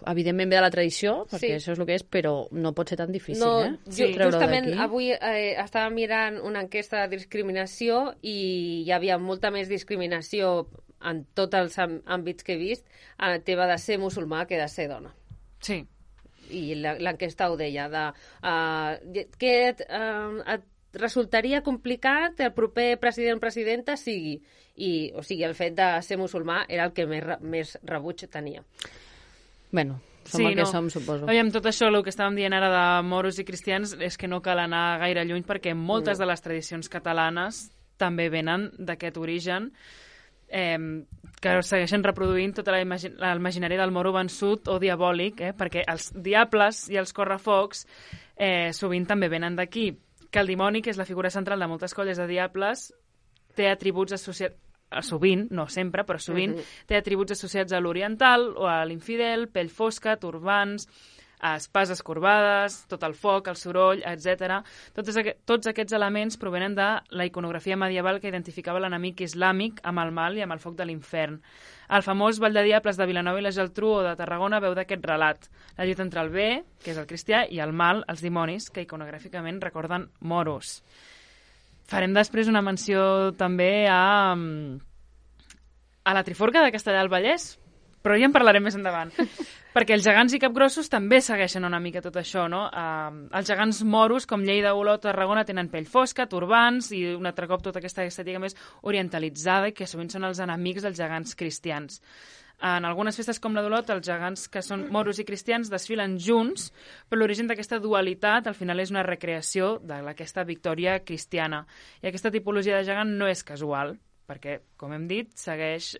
C: Evidentment ve de la tradició, perquè això és el que és, però no pot ser tan difícil,
A: Justament avui estava mirant una enquesta de discriminació i hi havia molta més discriminació en tots els àmbits que he vist, en el tema de ser musulmà que de ser dona.
B: Sí.
A: I l'enquesta ho deia, que et resultaria complicat el proper president-presidenta sigui. O sigui, el fet de ser musulmà era el que més rebuig tenia.
C: Bueno, som el que som, suposo.
B: Aviam, tot això, el que estàvem dient ara de moros i cristians, és que no cal anar gaire lluny perquè moltes de les tradicions catalanes també venen d'aquest origen, que segueixen reproduint tota l'imaginari del moro vençut o diabòlic, perquè els diables i els correfocs sovint també venen d'aquí. Que el dimoni, que és la figura central de moltes colles de diables, té atributs associats, sovint, no sempre, però sovint, té atributs associats a l'oriental o a l'infidel, pell fosca, turbants, espases corbades, tot el foc, el soroll, etc. Tots aquests elements provenen de la iconografia medieval que identificava l'enemic islàmic amb el mal i amb el foc de l'infern. El famós Ball de Diables de Vilanova i la Geltrú o de Tarragona veu d'aquest relat, la lluita entre el bé, que és el cristià, i el mal, els dimonis, que iconogràficament recorden moros. Farem després una menció també a la Triforca de Castellar del Vallès, però ja en parlarem més endavant. Perquè els gegants i capgrossos també segueixen una mica tot això, no? Els gegants moros, com Lleida, Olot o Tarragona, tenen pell fosca, turbants i un altre cop tota aquesta estètica més orientalitzada i que sovint són els enemics dels gegants cristians. En algunes festes com la d'Olot, els gegants que són moros i cristians desfilen junts, però l'origen d'aquesta dualitat al final és una recreació d'aquesta victòria cristiana. I aquesta tipologia de gegant no és casual, perquè, com hem dit, segueix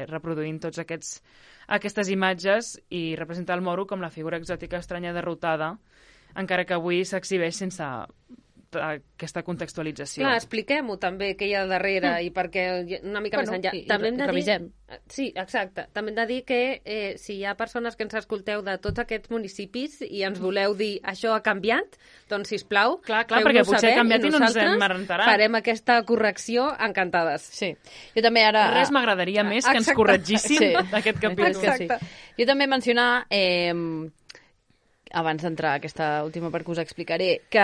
B: reproduint tots aquestes imatges i representa el moro com la figura exòtica estranya derrotada, encara que avui s'exhibeix sense aquesta contextualització.
A: Clar, expliquem-ho també, què hi ha darrere i perquè una mica més enllà. També hem de
C: revisem.
A: dir... Sí, exacte. També hem de dir que si hi ha persones que ens escolteu de tots aquests municipis i ens voleu dir això ha canviat, doncs, sisplau,
B: Clar, perquè potser ha canviat i no ens hem enterat.
A: Farem aquesta correcció encantades.
C: Sí. Jo també ara...
B: Res m'agradaria més que ens corregíssim aquest capítol.
A: Exacte.
C: Jo també mencionar, abans d'entrar a aquesta última part que us explicaré, que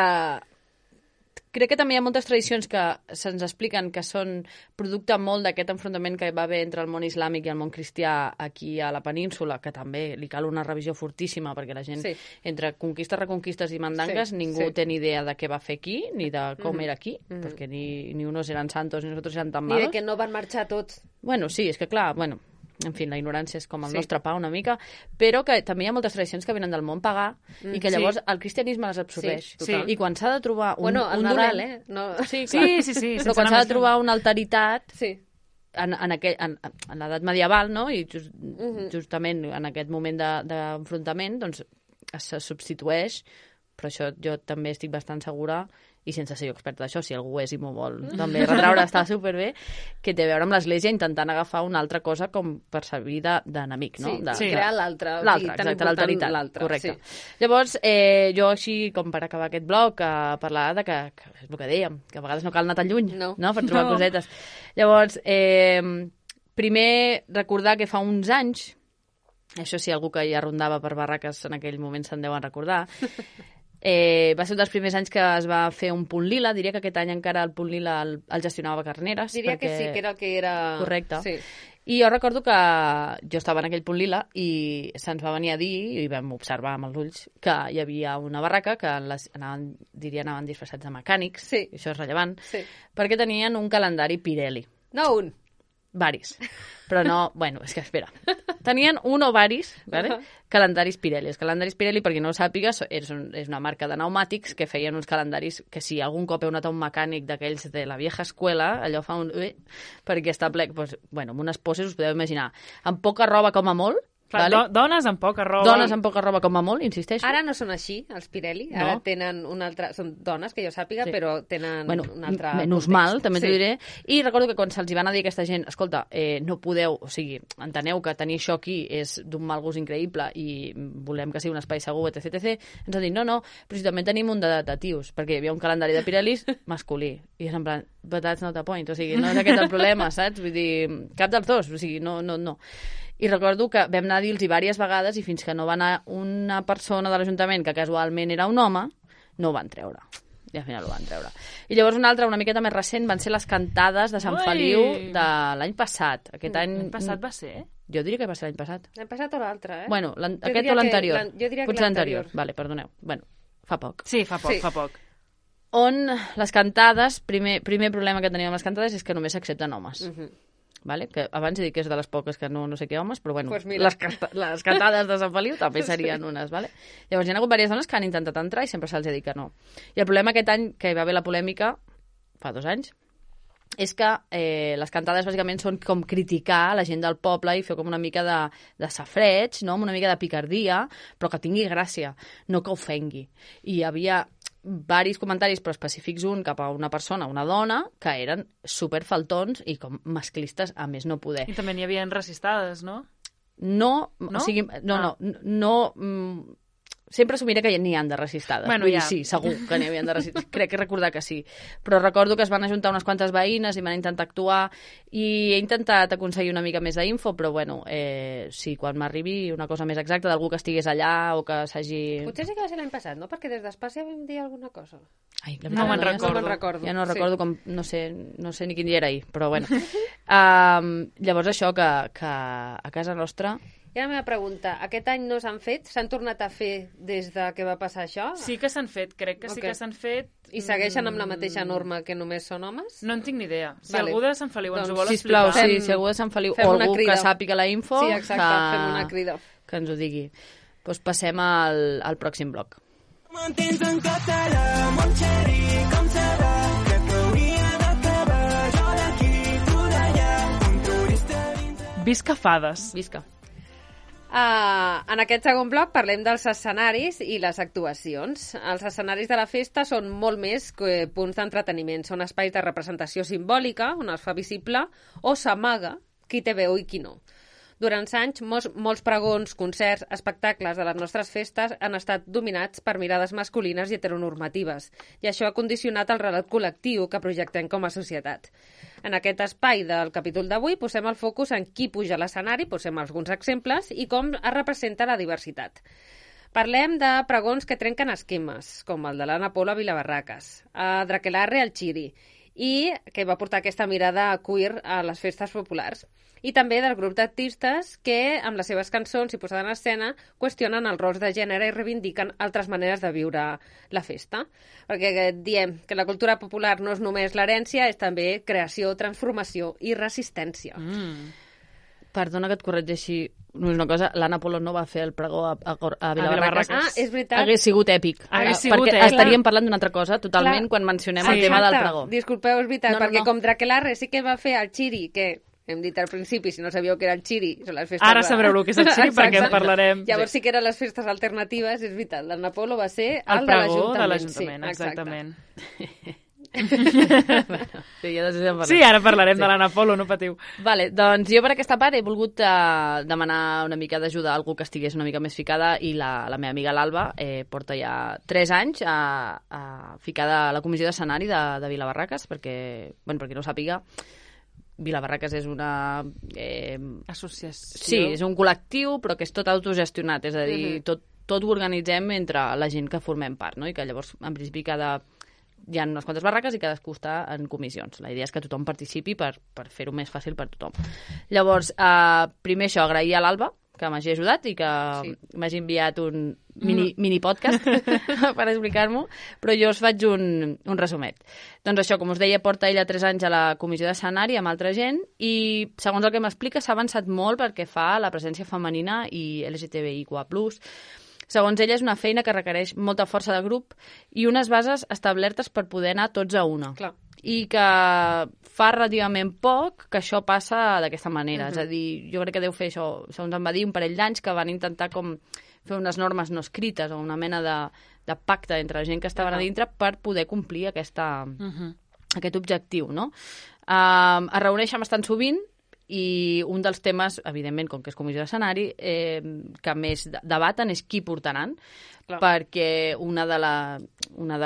C: crec que també hi ha moltes tradicions que se'ns expliquen que són producte molt d'aquest enfrontament que va haver entre el món islàmic i el món cristià aquí a la península, que també li cal una revisió fortíssima, perquè la gent, entre conquistes, reconquistes i mandangues, ningú té ni idea de què va fer aquí, ni de com era aquí, perquè ni unos eren santos ni nosotros eren tan malos.
A: Ni de que no van marxar tots.
C: Bueno, sí, és que clar, en fi, la ignorància és com el nostre pa una mica, però que també hi ha moltes tradicions que venen del món pagà i que llavors el cristianisme les absorbeix. I quan s'ha de trobar un
A: el Nadal, No...
C: Sí, però quan s'ha de trobar una altaritat en l'edat medieval, no? I justament en aquest moment d'enfrontament, doncs se substitueix, però això jo també estic bastant segura, i sense ser jo experta d'això, si algú és i m'ho vol també retraure, està superbé, que té a veure amb l'Església intentant agafar una altra cosa com per servir d'enemic, no?
A: Crear l'altre.
C: Exacte, l'alteritat, correcte. Llavors, jo així, com per acabar aquest bloc, parlar de que és el que dèiem, que a vegades no cal anar tan lluny, no? Per trobar cosetes. Llavors, primer recordar que fa uns anys, això sí, algú que ja rondava per barraques en aquell moment se'n deuen recordar, va ser un dels primers anys que es va fer un punt lila. Diria que aquest any encara el punt lila el gestionava Carneres.
A: Diria que sí, que era el que era...
C: Correcte.
A: Sí.
C: I jo recordo que jo estava en aquell punt lila i se'ns va venir a dir, i vam observar amb els ulls, que hi havia una barraca que anaven disfressats de mecànics, això és rellevant, perquè tenien un calendari Pirelli.
A: No un.
C: Varis. Però no, és que espera. Tenien un o varis, ¿vale? Calendaris Pirelli. Els calendaris Pirelli, per qui no ho sàpiga, és una marca de pneumàtics que feien uns calendaris que si algun cop heu anat a un mecànic d'aquells de la vieja escuela, allò fa un... perquè està ple... amb unes poses us podeu imaginar. Amb poca roba com a molt,
B: clar,
C: vale?
B: Dones amb poca roba.
C: Dones amb poca roba com a molt, insisteixo.
A: Ara no són així, els Pirelli. Ara tenen una altra... Són dones, que jo sàpiga, però tenen un altre
C: menys
A: context.
C: Mal, també t'ho diré. I recordo que quan se'ls van a dir a aquesta gent, escolta, no podeu... O sigui, enteneu que tenir això aquí és d'un mal gust increïble i volem que sigui un espai segur, etc. Ens han dit, no, però si també tenim un de tios, perquè hi havia un calendari de Pirellis masculí. I és en plan, but that's not the point. O sigui, no és aquest el problema, saps? Vull dir, cap dels dos. O sigui, no. I recordo que vam anar a dir-los diverses vegades i fins que no va anar una persona de l'Ajuntament que casualment era un home, no ho van treure. I al final ho van treure. I llavors una miqueta més recent, van ser les cantades de Sant Feliu de l'any passat.
B: L'any passat va ser?
C: Jo diria que va ser l'any passat.
A: L'any passat o l'altre,
C: Bueno, aquest o l'anterior.
A: Jo diria que
C: potser
A: l'anterior.
C: Vale, perdoneu. Bueno, fa poc.
B: Sí, fa poc.
C: On les cantades, primer problema que teníem amb les cantades és que només s'accepten homes. Vale? Que abans he dit que és de les poques que no sé què homes, però bueno,
A: pues
C: les cantades de Sant Feliu també serien unes, vale? Llavors hi ha hagut diverses dones que han intentat entrar i sempre se'ls ha dit que no. I el problema aquest any, que hi va haver la polèmica, fa 2 anys, és que les cantades bàsicament són com criticar la gent del poble i fer com una mica de safreig, no? Amb una mica de picardia, però que tingui gràcia, no que ofengui. I hi havia varis comentaris, però específics un cap a una persona, una dona, que eren superfaltons i com masclistes a més no poder.
B: I també n'hi havia racistades, no?
C: No? O sigui, no sempre assumiré que n'hi ha de racistades.
B: Bueno,
C: vull dir, sí, segur que n'hi havia de racistades. Crec que recordar que sí. Però recordo que es van ajuntar unes quantes veïnes i van intentar actuar i he intentat aconseguir una mica més d'info, però bueno, sí, quan m'arribi una cosa més exacta d'algú que estigués allà o que s'hagi...
A: Potser sí que va ser l'any passat, no? Perquè des d'Espàcia vam dir alguna cosa.
C: Ai,
B: no me'n recordo.
C: Ja no recordo com... No sé ni quin dia era ahir, però bueno. Llavors això, que a casa nostra...
A: I la meva pregunta, aquest any no s'han fet? S'han tornat a fer des de que va passar això?
B: Sí que s'han fet, crec que sí que s'han fet.
A: I segueixen amb la mateixa norma que només són homes?
B: No en tinc ni idea. Si algú de Sant Feliu ens ho vol
C: explicar...
B: Sisplau,
C: si algú de Sant Feliu o algú que sàpiga la info...
A: Sí, exacte, fem una crida.
C: Que ens ho digui. Doncs passem al pròxim bloc.
E: Mantens en català, mon xeri, com serà? Crec que hauria d'acabar, jo d'aquí, tu d'allà, un turista dins...
B: Visca fades.
C: Visca.
A: En aquest segon bloc parlem dels escenaris i les actuacions. Els escenaris de la festa són molt més que punts d'entreteniment. Són espais de representació simbòlica, on es fa visible o s'amaga qui té veu i qui no. Durant anys, molts pregons, concerts, espectacles de les nostres festes han estat dominats per mirades masculines i heteronormatives, i això ha condicionat el relat col·lectiu que projectem com a societat. En aquest espai del capítol d'avui posem el focus en qui puja a l'escenari, posem alguns exemples, i com es representa la diversitat. Parlem de pregons que trenquen esquemes, com el de l'Anna Polo a Vilabarraques, a Drakelarre al Chiri, i que va portar aquesta mirada queer a les festes populars. I també del grup d'artistes que, amb les seves cançons i posada en escena, qüestionen els rols de gènere i reivindiquen altres maneres de viure la festa. Perquè diem que la cultura popular no és només l'herència, és també creació, transformació i resistència.
C: Perdona que et corregeixi una cosa, l'Anna Polo no va fer el pregó a Vilabarraques.
A: Ah, és veritat.
C: Hagués sigut èpic. Perquè estaríem parlant d'una altra cosa totalment quan mencionem el tema del pregó.
A: Disculpeu, és veritat, perquè com Drakelarre sí que va fer el Chiri, que hem dit al principi, si no sabíeu que era el Chiri, són les festes...
B: Ara sabreu el que és el Chiri perquè en parlarem.
A: Llavors sí que eren les festes alternatives, és veritat. L'Anna Polo va ser
B: el
A: de
B: pregó de
A: l'Ajuntament.
B: exactament.
C: Sí,
B: ara parlarem de l'Anna Polo, no patiu.
C: Vale, doncs jo per aquesta part he volgut demanar una mica d'ajuda a algú que estigués una mica més ficada, i la meva amiga l'Alba porta ja 3 anys ficada a la comissió d'escenari de Vilabarraques, perquè, bueno, per qui no ho sàpiga, Vilabarraques és una...
B: associació.
C: Sí, és un col·lectiu, però que és tot autogestionat, és a dir, tot ho organitzem entre la gent que formem part, no? I que llavors, en principi, hi ha unes quantes barraques i cadascú està en comissions. La idea és que tothom participi per fer-ho més fàcil per tothom. Llavors, primer això, agrair a l'Alba, que m'hagi ajudat i que m'hagi enviat un mini podcast per explicar-m'ho, però jo us faig un resumet. Doncs això, com us deia, porta ella 3 anys a la comissió d'escenari amb altra gent i, segons el que m'explica, s'ha avançat molt perquè fa la presència femenina i LGTBIQA+. Segons ella, és una feina que requereix molta força de grup i unes bases establertes per poder anar tots a una.
A: Clar.
C: I que fa relativament poc que això passa d'aquesta manera. És a dir, jo crec que deu fer això, segons em va dir, un parell d'anys que van intentar com fer unes normes no escrites o una mena de pacte entre la gent que estaven a dintre per poder complir aquest objectiu, no? Es reuneixen bastant sovint i un dels temes, evidentment, com que és comissió d'escenari, que més debaten és qui portaran, perquè una de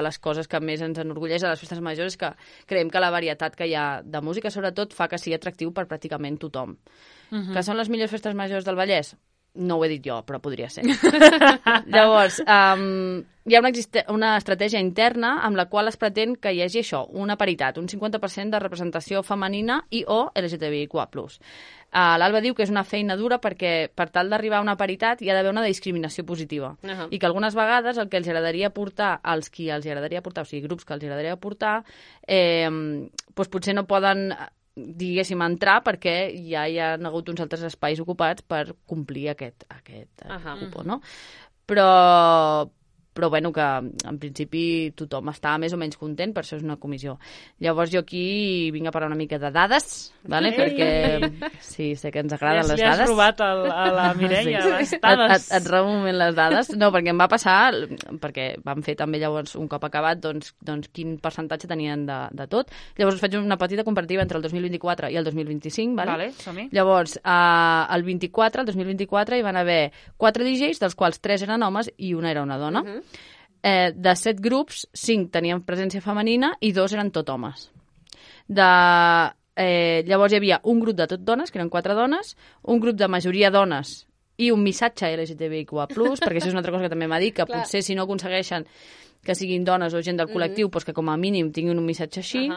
C: les coses que més ens enorgulleix de les festes majors és que creiem que la varietat que hi ha de música, sobretot, fa que sigui atractiu per pràcticament tothom. Que són les millors festes majors del Vallès? No ho he dit jo, però podria ser. Llavors, hi ha una estratègia interna amb la qual es pretén que hi hagi això, una paritat, un 50% de representació femenina i o LGTBIQA+. L'Alba diu que és una feina dura perquè per tal d'arribar a una paritat hi ha d'haver una discriminació positiva. I que algunes vegades el que els agradaria portar, als qui els agradaria portar, o sigui, grups que els agradaria portar, doncs potser no poden, diguéssim, entrar perquè ja hi ha hagut uns altres espais ocupats per complir aquest cupó, no? Però bueno, que en principi tothom està més o menys content, per això és una comissió. Llavors jo aquí vinc a parlar una mica de dades, ¿vale? Perquè sí, sé que ens agraden les dades.
B: Li has robat a la Mireia, les dades.
C: Et robo un moment les dades. No, perquè em va passar, perquè vam fer també llavors un cop acabat, doncs quin percentatge tenien de tot. Llavors us faig una petita comparativa entre el 2024 i el 2025, ¿vale?
B: Vale, som-hi.
C: Llavors, el 2024 hi van haver 4 DJs, dels quals 3 eren homes i una era una dona. De 7 grups, 5 tenien presència femenina i 2 eren tot homes. Llavors hi havia un grup de tot dones, que eren 4 dones, un grup de majoria dones i un missatge LGTBIQA+, perquè això és una altra cosa que també m'ha dit, que potser si no aconsegueixen que siguin dones o gent del col·lectiu, doncs que com a mínim tinguin un missatge així.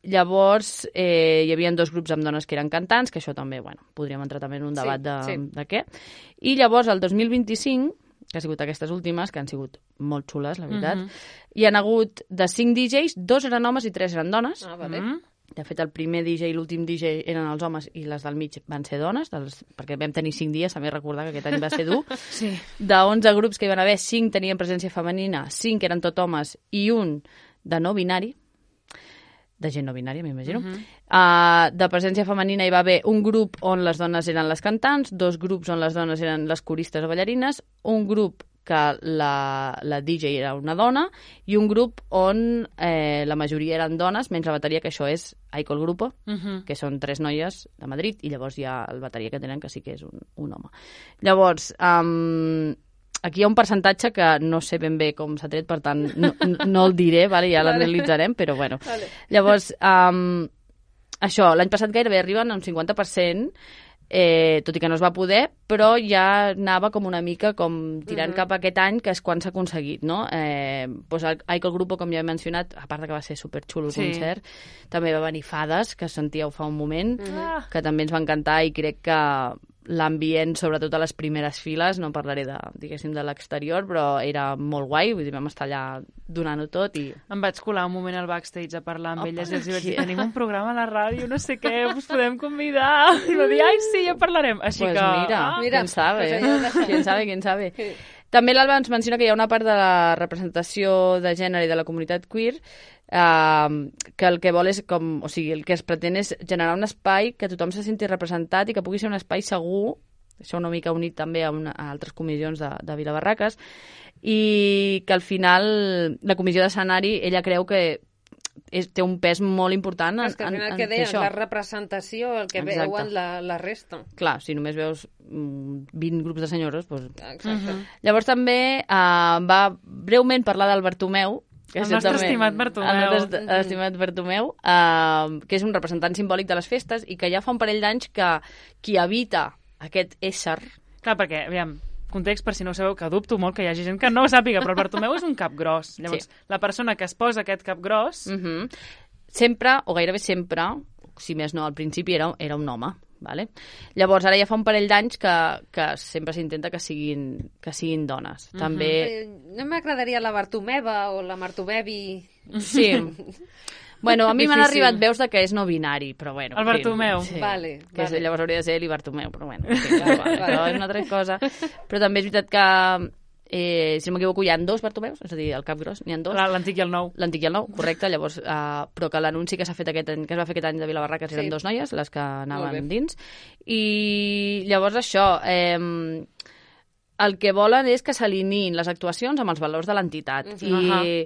C: Llavors hi havia 2 grups amb dones que eren cantants, que això també, bueno, podríem entrar també en un debat de què. I llavors el 2025, que ha sigut aquestes últimes, que han sigut molt xules, la veritat, hi han hagut de 5 DJs, 2 eren homes i 3 eren dones. De fet, el primer DJ i l'últim DJ eren els homes i les del mig van ser dones, perquè vam tenir 5 dies, també recordar que aquest any va ser dur.
B: Sí.
C: De 11 grups que hi van haver, 5 tenien presència femenina, 5 eren tot homes i un de no binari. de gent no binària, m'imagino. De presència femenina hi va haver un grup on les dones eren les cantants, 2 grups on les dones eren les coristes o ballarines, un grup que la DJ era una dona i un grup on la majoria eren dones, menys la bateria, que això és Aiko el Grupo, que són 3 noies de Madrid, i llavors hi ha el bateria que tenen, que sí que és un home. Llavors, aquí hi ha un percentatge que no sé ben bé com s'ha tret, per tant, no el diré, vale? Ja l'analitzarem, però bueno. Vale. Llavors, això, l'any passat gairebé arriben a un 50%, tot i que no es va poder, però ja anava com una mica com tirant cap a aquest any, que és quan s'ha aconseguit, no? Doncs Aiko el Grupo, com ja he mencionat, a part que va ser superxulo el concert, també va venir Fades, que sentíeu fa un moment, que també ens va encantar, i crec que l'ambient, sobretot a les primeres files, no parlaré diguéssim, de l'exterior, però era molt guai, vull dir, vam estar allà donant-ho tot i...
B: Em vaig colar un moment al backstage a parlar amb elles i els vaig dir, tenim un programa a la ràdio, no sé què, us podem convidar? I va dir, ai, sí, ja parlarem. Així
C: pues
B: que...
C: Mira, quién sabe. També l'Alba ens menciona que hi ha una part de la representació de gènere i de la comunitat queer que el que vol és com, o sigui, el que es pretén és generar un espai que tothom se senti representat i que pugui ser un espai segur, això una mica unit també a altres comissions de Vilabarraques, i que al final la comissió d'escenari, ella creu que té un pes molt important
A: és que al final que deies, la representació, el que veuen la resta.
C: Clar, si només veus 20 grups de senyores, doncs... Exacte. Llavors també va breument parlar del Bartomeu,
B: el nostre estimat Bartomeu.
C: El nostre estimat Bartomeu, que és un representant simbòlic de les festes i que ja fa un parell d'anys que qui habita aquest ésser...
B: Clar, perquè, aviam, context per si no ho sabeu, que dubto molt que hi hagi gent que no ho sàpiga, però el Bartomeu és un cap gros. Llavors, la persona que es posa aquest cap gros...
C: Sempre, o gairebé sempre, si més no al principi, era un home. Vale? Llavors, ara ja fa un parell d'anys que sempre s'intenta que siguin dones. També...
A: No m'agradaria la Bartomeva o la Martovevi.
C: Sí. Bueno, a mi m'han arribat veus de que és no binari, però bueno.
B: El Bartomeu.
C: Sí.
A: Vale.
C: Llavors hauria de ser l'Ibartomeu, però bueno. Sí, però és una altra cosa. Però també és veritat que si no m'equivoco, hi ha 2 Bartomeus, és a dir, el cap gros, n'hi ha 2.
B: L'antic i el nou.
C: L'antic i el nou, correcte, llavors, però que l'anunci que s'ha fet que es va fer aquest any de Vilabarraques eren 2 noies, les que anaven dins. I llavors això, el que volen és que s'alineïn les actuacions amb els valors de l'entitat. I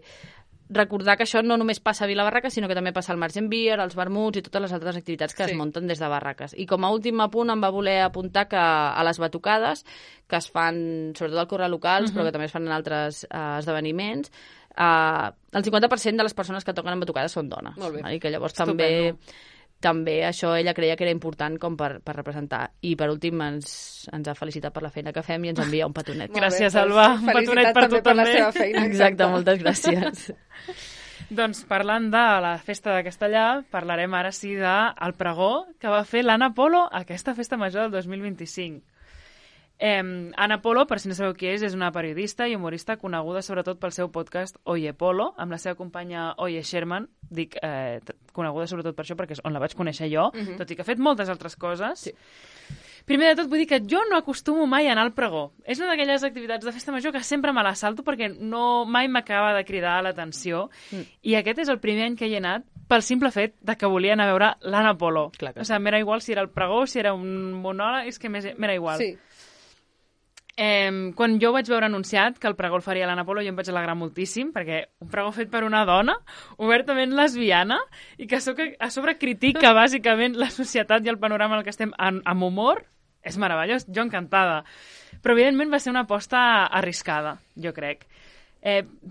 C: recordar que això no només passa a Vilabarraques, sinó que també passa al Margent Beer, als vermuts i totes les altres activitats que es munten des de Barraques. I com a últim apunt em va voler apuntar que a les batucades, que es fan sobretot al corral locals, però que també es fan en altres esdeveniments, el 50% de les persones que toquen en batucades són dones.
A: Molt bé.
C: I que llavors també això ella creia que era important com per representar. I per últim ens ha felicitat per la feina que fem i ens envia un petonet.
B: Gràcies, Alba. Un petonet per tu també.
A: Per la seva feina.
C: Exacte, moltes gràcies.
B: Doncs parlant de la festa de Castellà, parlarem ara sí del pregó que va fer l'Anna Polo a aquesta festa major del 2025. Anna Polo, per si no sabeu qui és una periodista i humorista coneguda sobretot pel seu podcast Oye Polo, amb la seva companya Oye Sherman. Dic coneguda sobretot per això perquè és on la vaig conèixer jo, tot i que ha fet moltes altres coses. Sí. Primer de tot vull dir que jo no acostumo mai a anar al pregó. És una d'aquelles activitats de festa major que sempre me la salto perquè mai m'acaba de cridar l'atenció. I aquest és el primer any que hi he anat pel simple fet de que volia anar a veure l'Anna Polo. O sigui, m'era igual si era el pregó, si era un monòleg, és que m'era igual. Sí. Quan jo vaig veure anunciat que el pregó el faria l'Anna Polo, jo em vaig alegrar moltíssim, perquè un pregó fet per una dona, obertament lesbiana, i que a sobre critica bàsicament la societat i el panorama en el que estem amb humor, és meravellós, jo encantada. Però evidentment va ser una aposta arriscada, jo crec.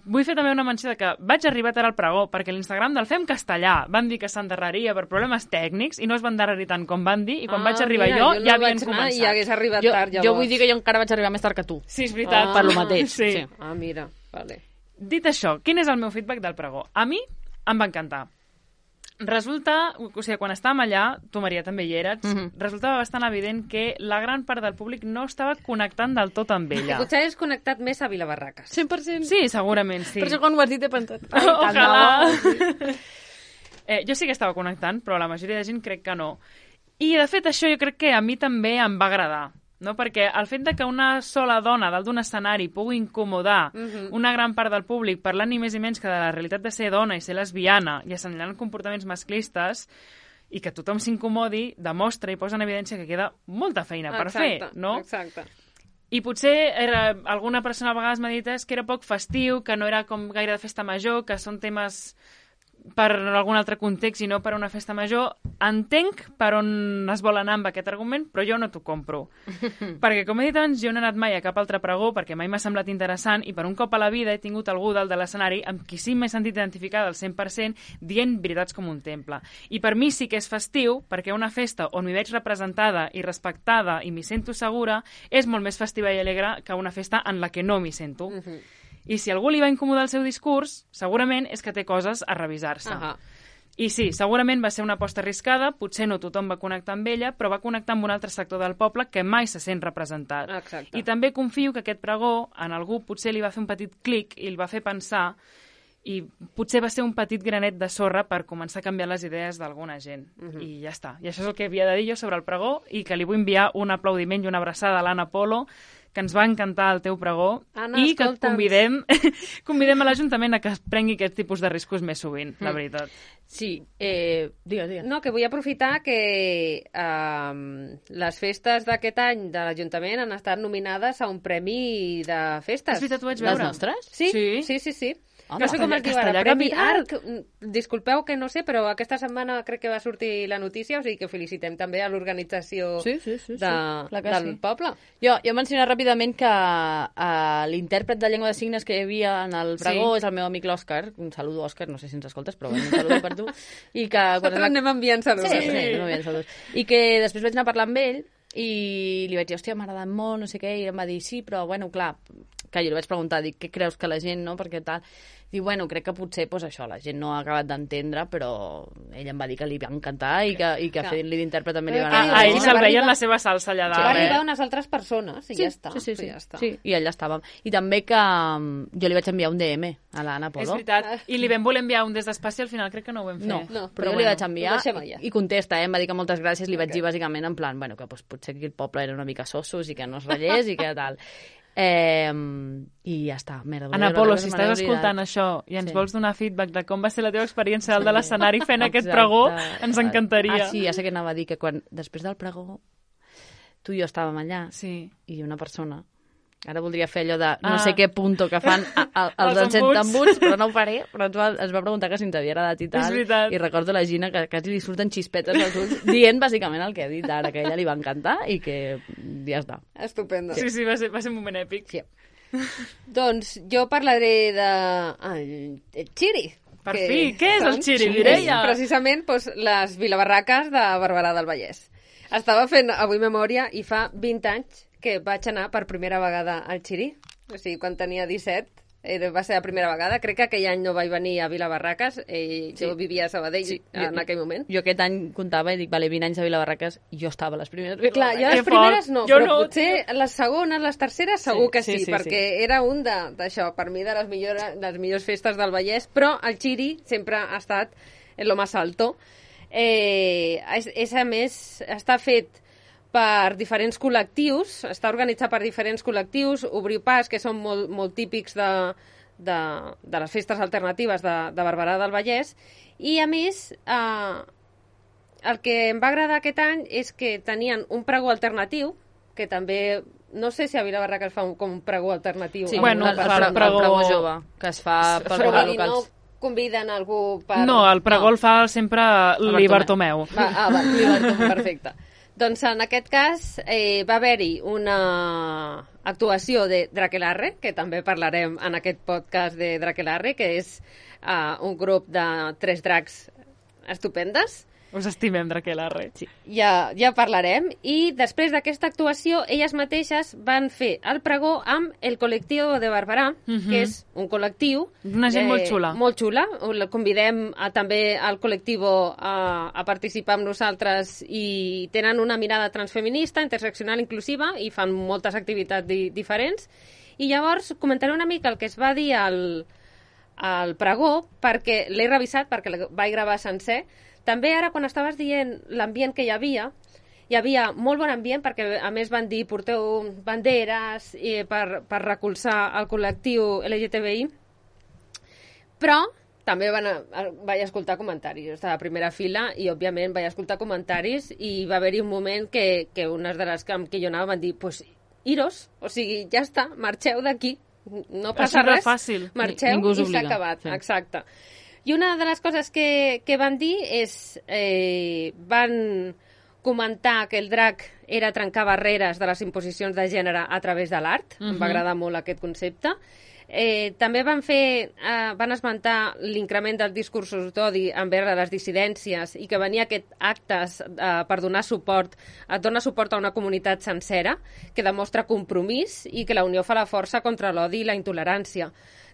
B: Vull fer també una menció de que vaig arribar tard al pregó perquè l'Instagram del Fem Castellà van dir que s'endarreria per problemes tècnics i no es va endarrerir tant com van dir i quan vaig arribar jo ja havien començat.
A: I hagués arribat tard llavors.
C: Jo vull dir que jo encara vaig arribar més tard que tu.
B: Sí, és veritat.
C: Per lo mateix.
B: Sí.
A: Mira, vale.
B: Dit això, quin és el meu feedback del pregó? A mi em va encantar. Resulta, o sigui, quan estàvem allà, tu, Maria, també hi eres, resultava bastant evident que la gran part del públic no estava connectant del tot amb ella.
A: Potser hagués connectat més a Vilabarraques.
C: 100%.
B: Sí, segurament, sí.
C: Per això quan ho has dit he pensat.
B: Ojalà. Jo sí que estava connectant, però la majoria de gent crec que no. I, de fet, això jo crec que a mi també em va agradar. no? Perquè el fet de que una sola dona dalt d'un escenari pugui incomodar una gran part del públic parlant ni més ni menys que de la realitat de ser dona i ser lesbiana i assenyalant comportaments masclistes i que tothom s'incomodi, demostra i posa en evidència que queda molta feina per fer, no?
A: Exacte.
B: I potser alguna persona a vegades m'ha dit que era poc festiu, que no era com gaire de festa major, que són temes per algun altre context i no per una festa major. Entenc per on es vol anar amb aquest argument, però jo no t'ho compro. Perquè, com he dit abans, jo no he anat mai a cap altre pregó perquè mai m'ha semblat interessant i per un cop a la vida he tingut algú dalt de l'escenari amb qui sí m'he sentit identificada al 100% dient veritats com un temple. I per mi sí que és festiu perquè una festa on m'hi veig representada i respectada i m'hi sento segura és molt més festiva i alegre que una festa en la que no m'hi sento. I si algú li va incomodar el seu discurs, segurament és que té coses a revisar-se. I sí, segurament va ser una aposta arriscada, potser no tothom va connectar amb ella, però va connectar amb un altre sector del poble que mai se sent representat.
A: Exacte.
B: I també confio que aquest pregó, en algú potser li va fer un petit clic i el va fer pensar i potser va ser un petit granet de sorra per començar a canviar les idees d'alguna gent. I ja està. I això és el que havia de dir jo sobre el pregó i que li vull enviar un aplaudiment i una abraçada a l'Anna Polo, que ens va encantar el teu pregó.
A: Anna,
B: i que
A: escolta'ns.
B: convidem a l'Ajuntament a que es prengui aquest tipus de riscos més sovint, la veritat.
C: Sí, digues.
A: No, que vull aprofitar que les festes d'aquest any de l'Ajuntament han estat nominades a un premi de festes.
B: És veritat, ho vaig
C: Les
B: veure.
C: nostres?
A: Sí.
C: Home,
A: No sé com es diu ara,
B: Castellà
A: Premi
B: Capital.
A: Arc. Disculpeu que no sé, però aquesta setmana crec que va sortir la notícia, o sigui que felicitem també a l'organització
C: Sí, clar que
A: del
C: sí.
A: poble.
C: Jo mencionar ràpidament que l'intèrpret de llengua de signes que hi havia en el pregó és el meu amic l'Òscar. Un saludo, Òscar, no sé si ens escoltes, però bueno, un saludo per tu. I que quan
A: Nosaltres anem enviant saludos.
C: Sí, anem enviant saludos. I que després vaig anar a parlar amb ell i li vaig dir, hòstia, m'ha agradat molt, no sé què, i em va dir, sí, però bueno, clar, que jo li vaig preguntar, dic, què creus que la gent, no?, perquè tal... Diu, bueno, crec que potser, pues, això, la gent no ha acabat d'entendre, però ell em va dir que li va encantar i que fent-li d'intèrpret també li va
A: Però
C: anar.
B: A ell se'l
A: Va
B: veia en
A: arribar-
B: la seva salsa allà
A: Va
B: dalt,
A: arribar unes altres persones i ja està.
C: Sí.
A: Ja està.
C: Sí, i allà estàvem. I també que jo li vaig enviar un DM a l'Anna
B: És
C: Polo.
B: veritat. I li vam voler enviar un des d'espaci, al final crec que no ho vam fer.
C: No,
A: No,
C: però
A: però
C: jo li
A: bueno,
C: vaig enviar
A: ho deixem allà.
C: i contesta, em va dir que moltes gràcies, li vaig dir bàsicament en plan, bueno, que pues, potser aquí el poble era una mica sossos i que no es ratllés i que tal. I ja està.
B: Anna Polo, si estàs escoltant això i ens vols donar feedback de com va ser la teva experiència dalt de l'escenari fent aquest pregó, ens encantaria.
C: Ah, sí, ja sé que anava a dir que després del pregó tu i jo estàvem allà
B: Sí.
C: i una persona, ara voldria fer allò de no sé què punto que fan els
B: Els
C: embuts, però no ho faré, però ens va preguntar que si t'havia agradat i
B: És
C: tal,
B: veritat.
C: i recordo la Gina que quasi li surten xispetes als ulls dient bàsicament el que ha dit ara, que a ella li va encantar i que ja està.
A: Estupendo.
B: Sí, va ser un moment èpic.
C: Sí.
A: Doncs jo parlaré el Xiri.
B: Per fi, què és el Xiri, Mireia?
A: Precisament les vilabarraques de Barberà del Vallès. Estava fent avui memòria i fa 20 anys que vaig anar per primera vegada al Xiri. O sigui, quan tenia 17, va ser la primera vegada. Crec que aquell any no vaig venir a Vilabarraques. Jo vivia a Sabadell en aquell moment.
C: Jo aquest any comptava i dic, vale, 20 anys a Vilabarraques i jo estava a les primeres
A: Clar, jo
C: Vilabarraques.
A: les primeres no,
B: Jo
A: però
B: no,
A: potser les segones, les terceres segur que sí,
C: sí,
A: perquè era un d'això, per mi, de les millors festes del Vallès, però el Xiri sempre ha estat en lo más alto. És a més, està fet per diferents col·lectius, està organitzat per diferents col·lectius, Obriu Pas, que són molt típics de les festes alternatives de Barberà del Vallès, i a més el que em va agradar aquest any és que tenien un pregó alternatiu, que també, no sé si a Vilabarraca es fa com un pregó alternatiu.
C: Sí,
B: Bueno,
C: el
B: el
C: pregó jove, que es fa pels
A: però vull dir,
C: locals.
A: no conviden algú per...
B: No, el pregó el fa sempre l'Ibertomeu.
A: Va, perfecte. Doncs en aquest cas va haver-hi una actuació de Drakelarre, que també parlarem en aquest podcast de Drakelarre, que és un grup de 3 dracs estupendes.
B: Us estimem, Drakelarre.
A: Sí. Ja parlarem. I després d'aquesta actuació, elles mateixes van fer el pregó amb el col·lectiu de Barberà, que és un col·lectiu...
B: Una gent molt xula.
A: Molt xula. Convidem també al col·lectiu a participar amb nosaltres i tenen una mirada transfeminista, interseccional, inclusiva i fan moltes activitats diferents. I llavors comentaré una mica el que es va dir al pregó, perquè l'he revisat, perquè el vaig gravar sencer. També ara, quan estaves dient l'ambient que hi havia, hi havia molt bon ambient, perquè a més van dir porteu banderes per recolzar el col·lectiu LGTBI, però també vaig escoltar comentaris. Jo estava a primera fila i, òbviament, vaig escoltar comentaris i va haver-hi un moment que unes de les que jo anava van dir pues, iros, o sigui, ja està, marxeu d'aquí, no passa res,
B: fàcil.
A: marxeu
C: Ningú us
A: i s'ha
C: obliga.
A: acabat.
C: Sí.
A: Exacte. I una de les coses que van dir és van comentar que el drac era trencar barreres de les imposicions de gènere a través de l'art. Em va agradar molt aquest concepte. També van esmentar l'increment dels discursos d'odi envers les dissidències i que venia aquest actes per donar suport, et dona suport a una comunitat sencera que demostra compromís i que la unió fa la força contra l'odi i la intolerància.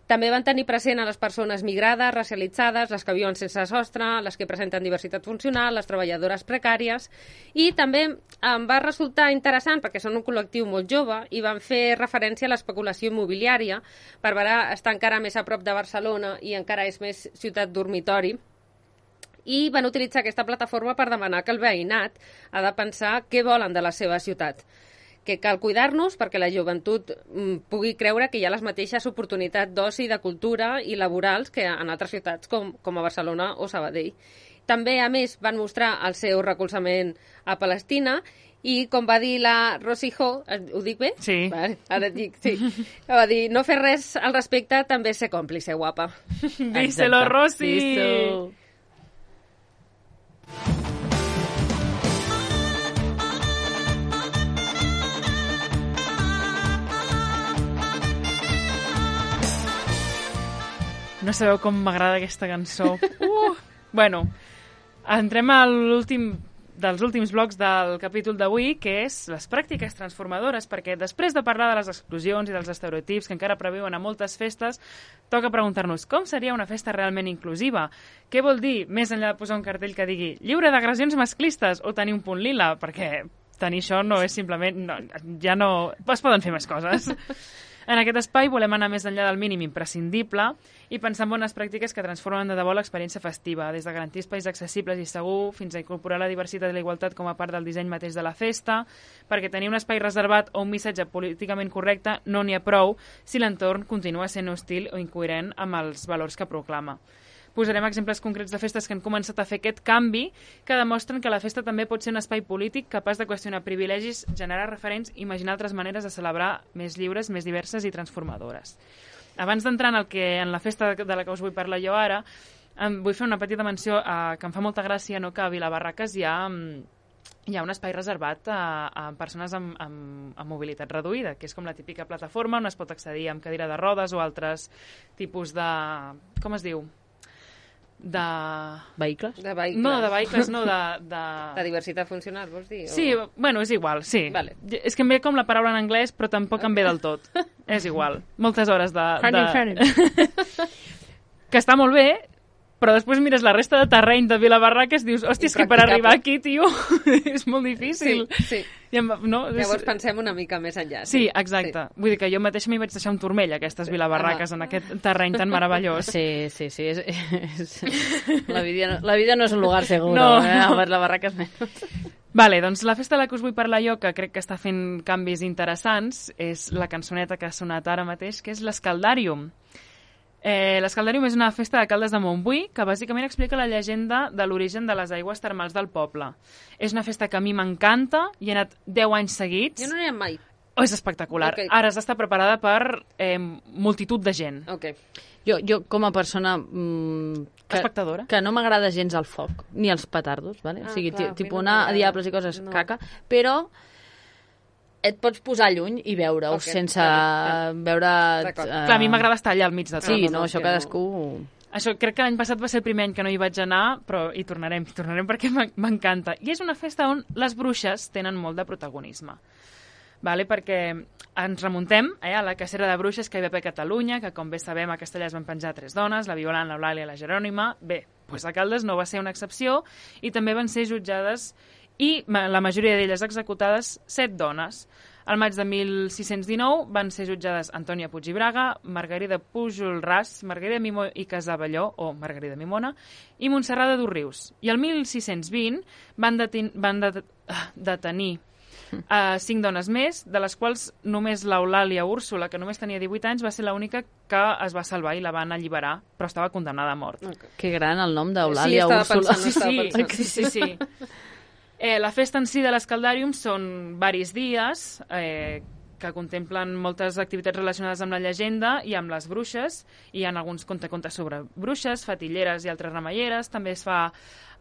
A: També van tenir present a les persones migrades, racialitzades, les que viuen sense sostre, les que presenten diversitat funcional, les treballadores precàries, i també em va resultar interessant, perquè són un col·lectiu molt jove, i van fer referència a l'especulació immobiliària, per estar encara més a prop de Barcelona i encara és més ciutat dormitori, i van utilitzar aquesta plataforma per demanar que el veïnat ha de pensar què volen de la seva ciutat, que cal cuidar-nos perquè la joventut pugui creure que hi ha les mateixes oportunitats d'oci, de cultura i laborals que en altres ciutats com a Barcelona o Sabadell. També, a més, van mostrar el seu recolzament a Palestina i, com va dir la Rosy Ho, ho dic bé?
B: Sí.
A: Vale, ara et dic, sí. Va dir, no fer res al respecte també és ser còmplice, guapa.
B: Díselo, Rosy!
C: Díselo.
B: No sabeu com m'agrada aquesta cançó. Bueno, entrem a l'últim dels últims blocs del capítol d'avui, que és les pràctiques transformadores, perquè després de parlar de les exclusions i dels estereotips que encara previuen a moltes festes, toca preguntar-nos com seria una festa realment inclusiva. Què vol dir, més enllà de posar un cartell que digui lliure d'agressions masclistes o tenir un punt lila, perquè tenir això no és simplement... No, ja no... Es poden fer més coses. En aquest espai volem anar més enllà del mínim imprescindible i pensar en bones pràctiques que transformen de debò l'experiència festiva, des de garantir espais accessibles i segur fins a incorporar la diversitat i la igualtat com a part del disseny mateix de la festa, perquè tenir un espai reservat o un missatge políticament correcte no n'hi ha prou si l'entorn continua sent hostil o incoherent amb els valors que proclama. Posarem exemples concrets de festes que han començat a fer aquest canvi, que demostren que la festa també pot ser un espai polític capaç de qüestionar privilegis, generar referents i imaginar altres maneres de celebrar més lliures, més diverses i transformadores. Abans d'entrar en la festa de la que us vull parlar jo ara, vull fer una petita menció que em fa molta gràcia, no, que a Vilabarraques hi ha un espai reservat a persones amb mobilitat reduïda, que és com la típica plataforma on es pot accedir amb cadira de rodes o altres tipus de... com es diu? De...
C: Vehicles?
A: De vehicles.
B: No, de vehicles, no, de...
A: De diversitat funcional, vols dir?
B: Sí, bueno, és igual, sí.
A: Vale.
B: És que em ve com la paraula en anglès, però tampoc em ve del tot. És igual. Moltes hores que està molt bé, però després mires la resta de terreny de Vilabarraques i dius, hòstia, és que per arribar aquí, tio, és molt difícil.
A: Sí. Llavors pensem una mica més enllà.
B: Sí, exacte. Sí. Vull dir que jo mateix m'hi vaig deixar un turmell, aquestes Vilabarraques, en aquest terreny tan meravellós.
C: Sí. La vida no és un lugar seguro, no. La barraca és menys.
B: Vale, doncs la festa de la que us vull parlar jo, que crec que està fent canvis interessants, és la cançoneta que ha sonat ara mateix, que és l'Escaldàrium. L'Escaldàrium és una festa de Caldes de Montbui que bàsicament explica la llegenda de l'origen de les aigües termals del poble. És una festa que a mi m'encanta, hi he anat 10 anys seguits.
A: Jo no n'hi he mai.
B: Oh, és espectacular.
A: Okay.
B: Ara has d'estar preparada per multitud de gent.
A: Okay.
C: Jo com a persona...
B: Espectadora.
C: Que no m'agrada gens el foc, ni els petardos, ¿vale? O sigui,
A: clar,
C: tipus anar a diables i coses caca, però et pots posar lluny i veure-ho sense veure...
B: Clar, a mi m'agrada estar allà al mig de tot.
C: Sí, no, això cadascú...
B: Això crec que l'any passat va ser el primer any que no hi vaig anar, però hi tornarem perquè m'encanta. I és una festa on les bruixes tenen molt de protagonisme. Vale? Perquè ens remuntem a la cacera de bruixes que hi va haver a Catalunya, que com bé sabem a Castellà es van penjar 3 dones, la Violant, l'Eulàlia i la Jerònima. Bé, doncs a Caldes no va ser una excepció i també van ser jutjades i la majoria d'elles executades 7 dones. Al maig de 1619 van ser jutjades Antònia Puig i Braga, Margarida Pujol Ras, Margarida Mimó i Casabelló, o Margarida Mimona, i Montserrat de Dosrius. I el 1620 van detenir 5 dones més, de les quals només l'Eulàlia Úrsula, que només tenia 18 anys, va ser l'única que es va salvar i la van alliberar, però estava condemnada a mort.
A: Okay.
C: Que gran el nom d'Eulàlia Úrsula.
B: Sí. La festa en si de l'Escaldàrium són varis dies que contemplen moltes activitats relacionades amb la llegenda i amb les bruixes. Hi ha alguns contes sobre bruixes, fatilleres i altres remeieres. També es fa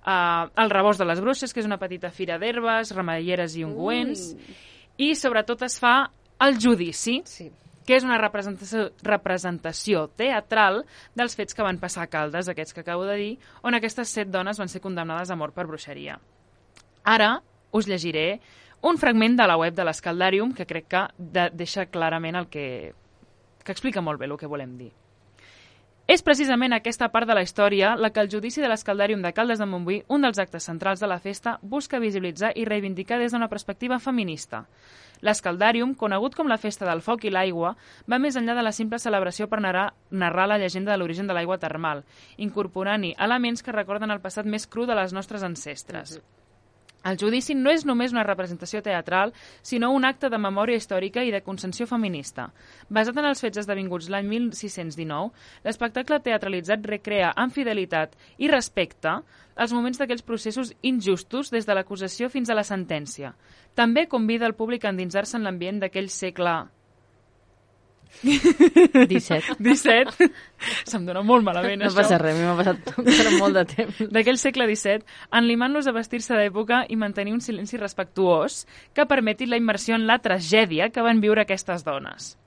B: el rebost de les bruixes, que és una petita fira d'herbes, remeieres i ungüents. I sobretot es fa el judici, que és una representació teatral dels fets que van passar a Caldes, aquests que acabo de dir, on aquestes 7 dones van ser condemnades a mort per bruixeria. Ara us llegiré un fragment de la web de l'Escaldàrium que crec que deixa clarament que explica molt bé el que volem dir. És precisament aquesta part de la història la que el judici de l'Escaldàrium de Caldes de Montbui, un dels actes centrals de la festa, busca visibilitzar i reivindicar des d'una perspectiva feminista. L'Escaldàrium, conegut com la Festa del Foc i l'Aigua, va més enllà de la simple celebració per narrar la llegenda de l'origen de l'aigua termal, incorporant-hi elements que recorden el passat més cru de les nostres ancestres. El judici no és només una representació teatral, sinó un acte de memòria històrica i de consciència feminista. Basat en els fets esdevinguts l'any 1619, l'espectacle teatralitzat recrea amb fidelitat i respecte els moments d'aquells processos injustos des de l'acusació fins a la sentència. També convida el públic a endinsar-se en l'ambient d'aquell segle
C: 17.
B: Se'm dona molt malament,
C: això. No passa res, a mi m'ha passat molt de temps.
B: D'aquell segle XVII, enlimant-los a vestir-se d'època i mantenir un silenci respectuós que permeti la immersió en la tragèdia que van viure aquestes dones.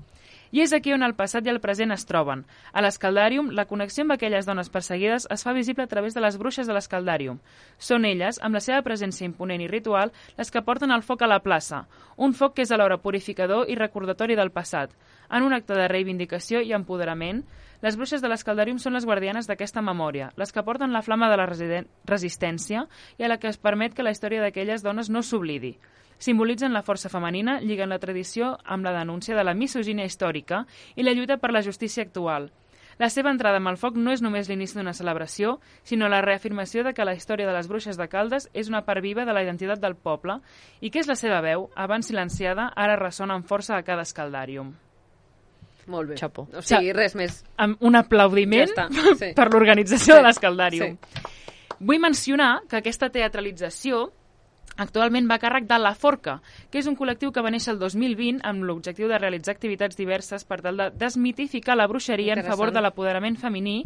B: I és aquí on el passat i el present es troben. A l'Escaldàrium, la connexió amb aquelles dones perseguides es fa visible a través de les bruixes de l'Escaldàrium. Són elles, amb la seva presència imponent i ritual, les que porten el foc a la plaça, un foc que és alhora purificador i recordatori del passat. En un acte de reivindicació i empoderament, les bruixes de l'Escaldàrium són les guardianes d'aquesta memòria, les que porten la flama de la resistència i a la que es permet que la història d'aquelles dones no s'oblidi. Simbolitzen la força femenina, lliguen la tradició amb la denúncia de la misogínia històrica i la lluita per la justícia actual. La seva entrada amb el foc no és només l'inici d'una celebració, sinó la reafirmació de que la història de les bruixes de Caldes és una part viva de la identitat del poble i que és la seva veu, abans silenciada, ara ressona amb força a cada Escaldàrium.
A: Molt bé.
C: Xapó.
A: O sigui, res més.
B: Amb un aplaudiment per l'organització de l'Escaldàrium. Vull mencionar que aquesta teatralització actualment va a càrrec de La Forca, que és un col·lectiu que va néixer el 2020 amb l'objectiu de realitzar activitats diverses per tal de desmitificar la bruixeria en favor de l'apoderament femení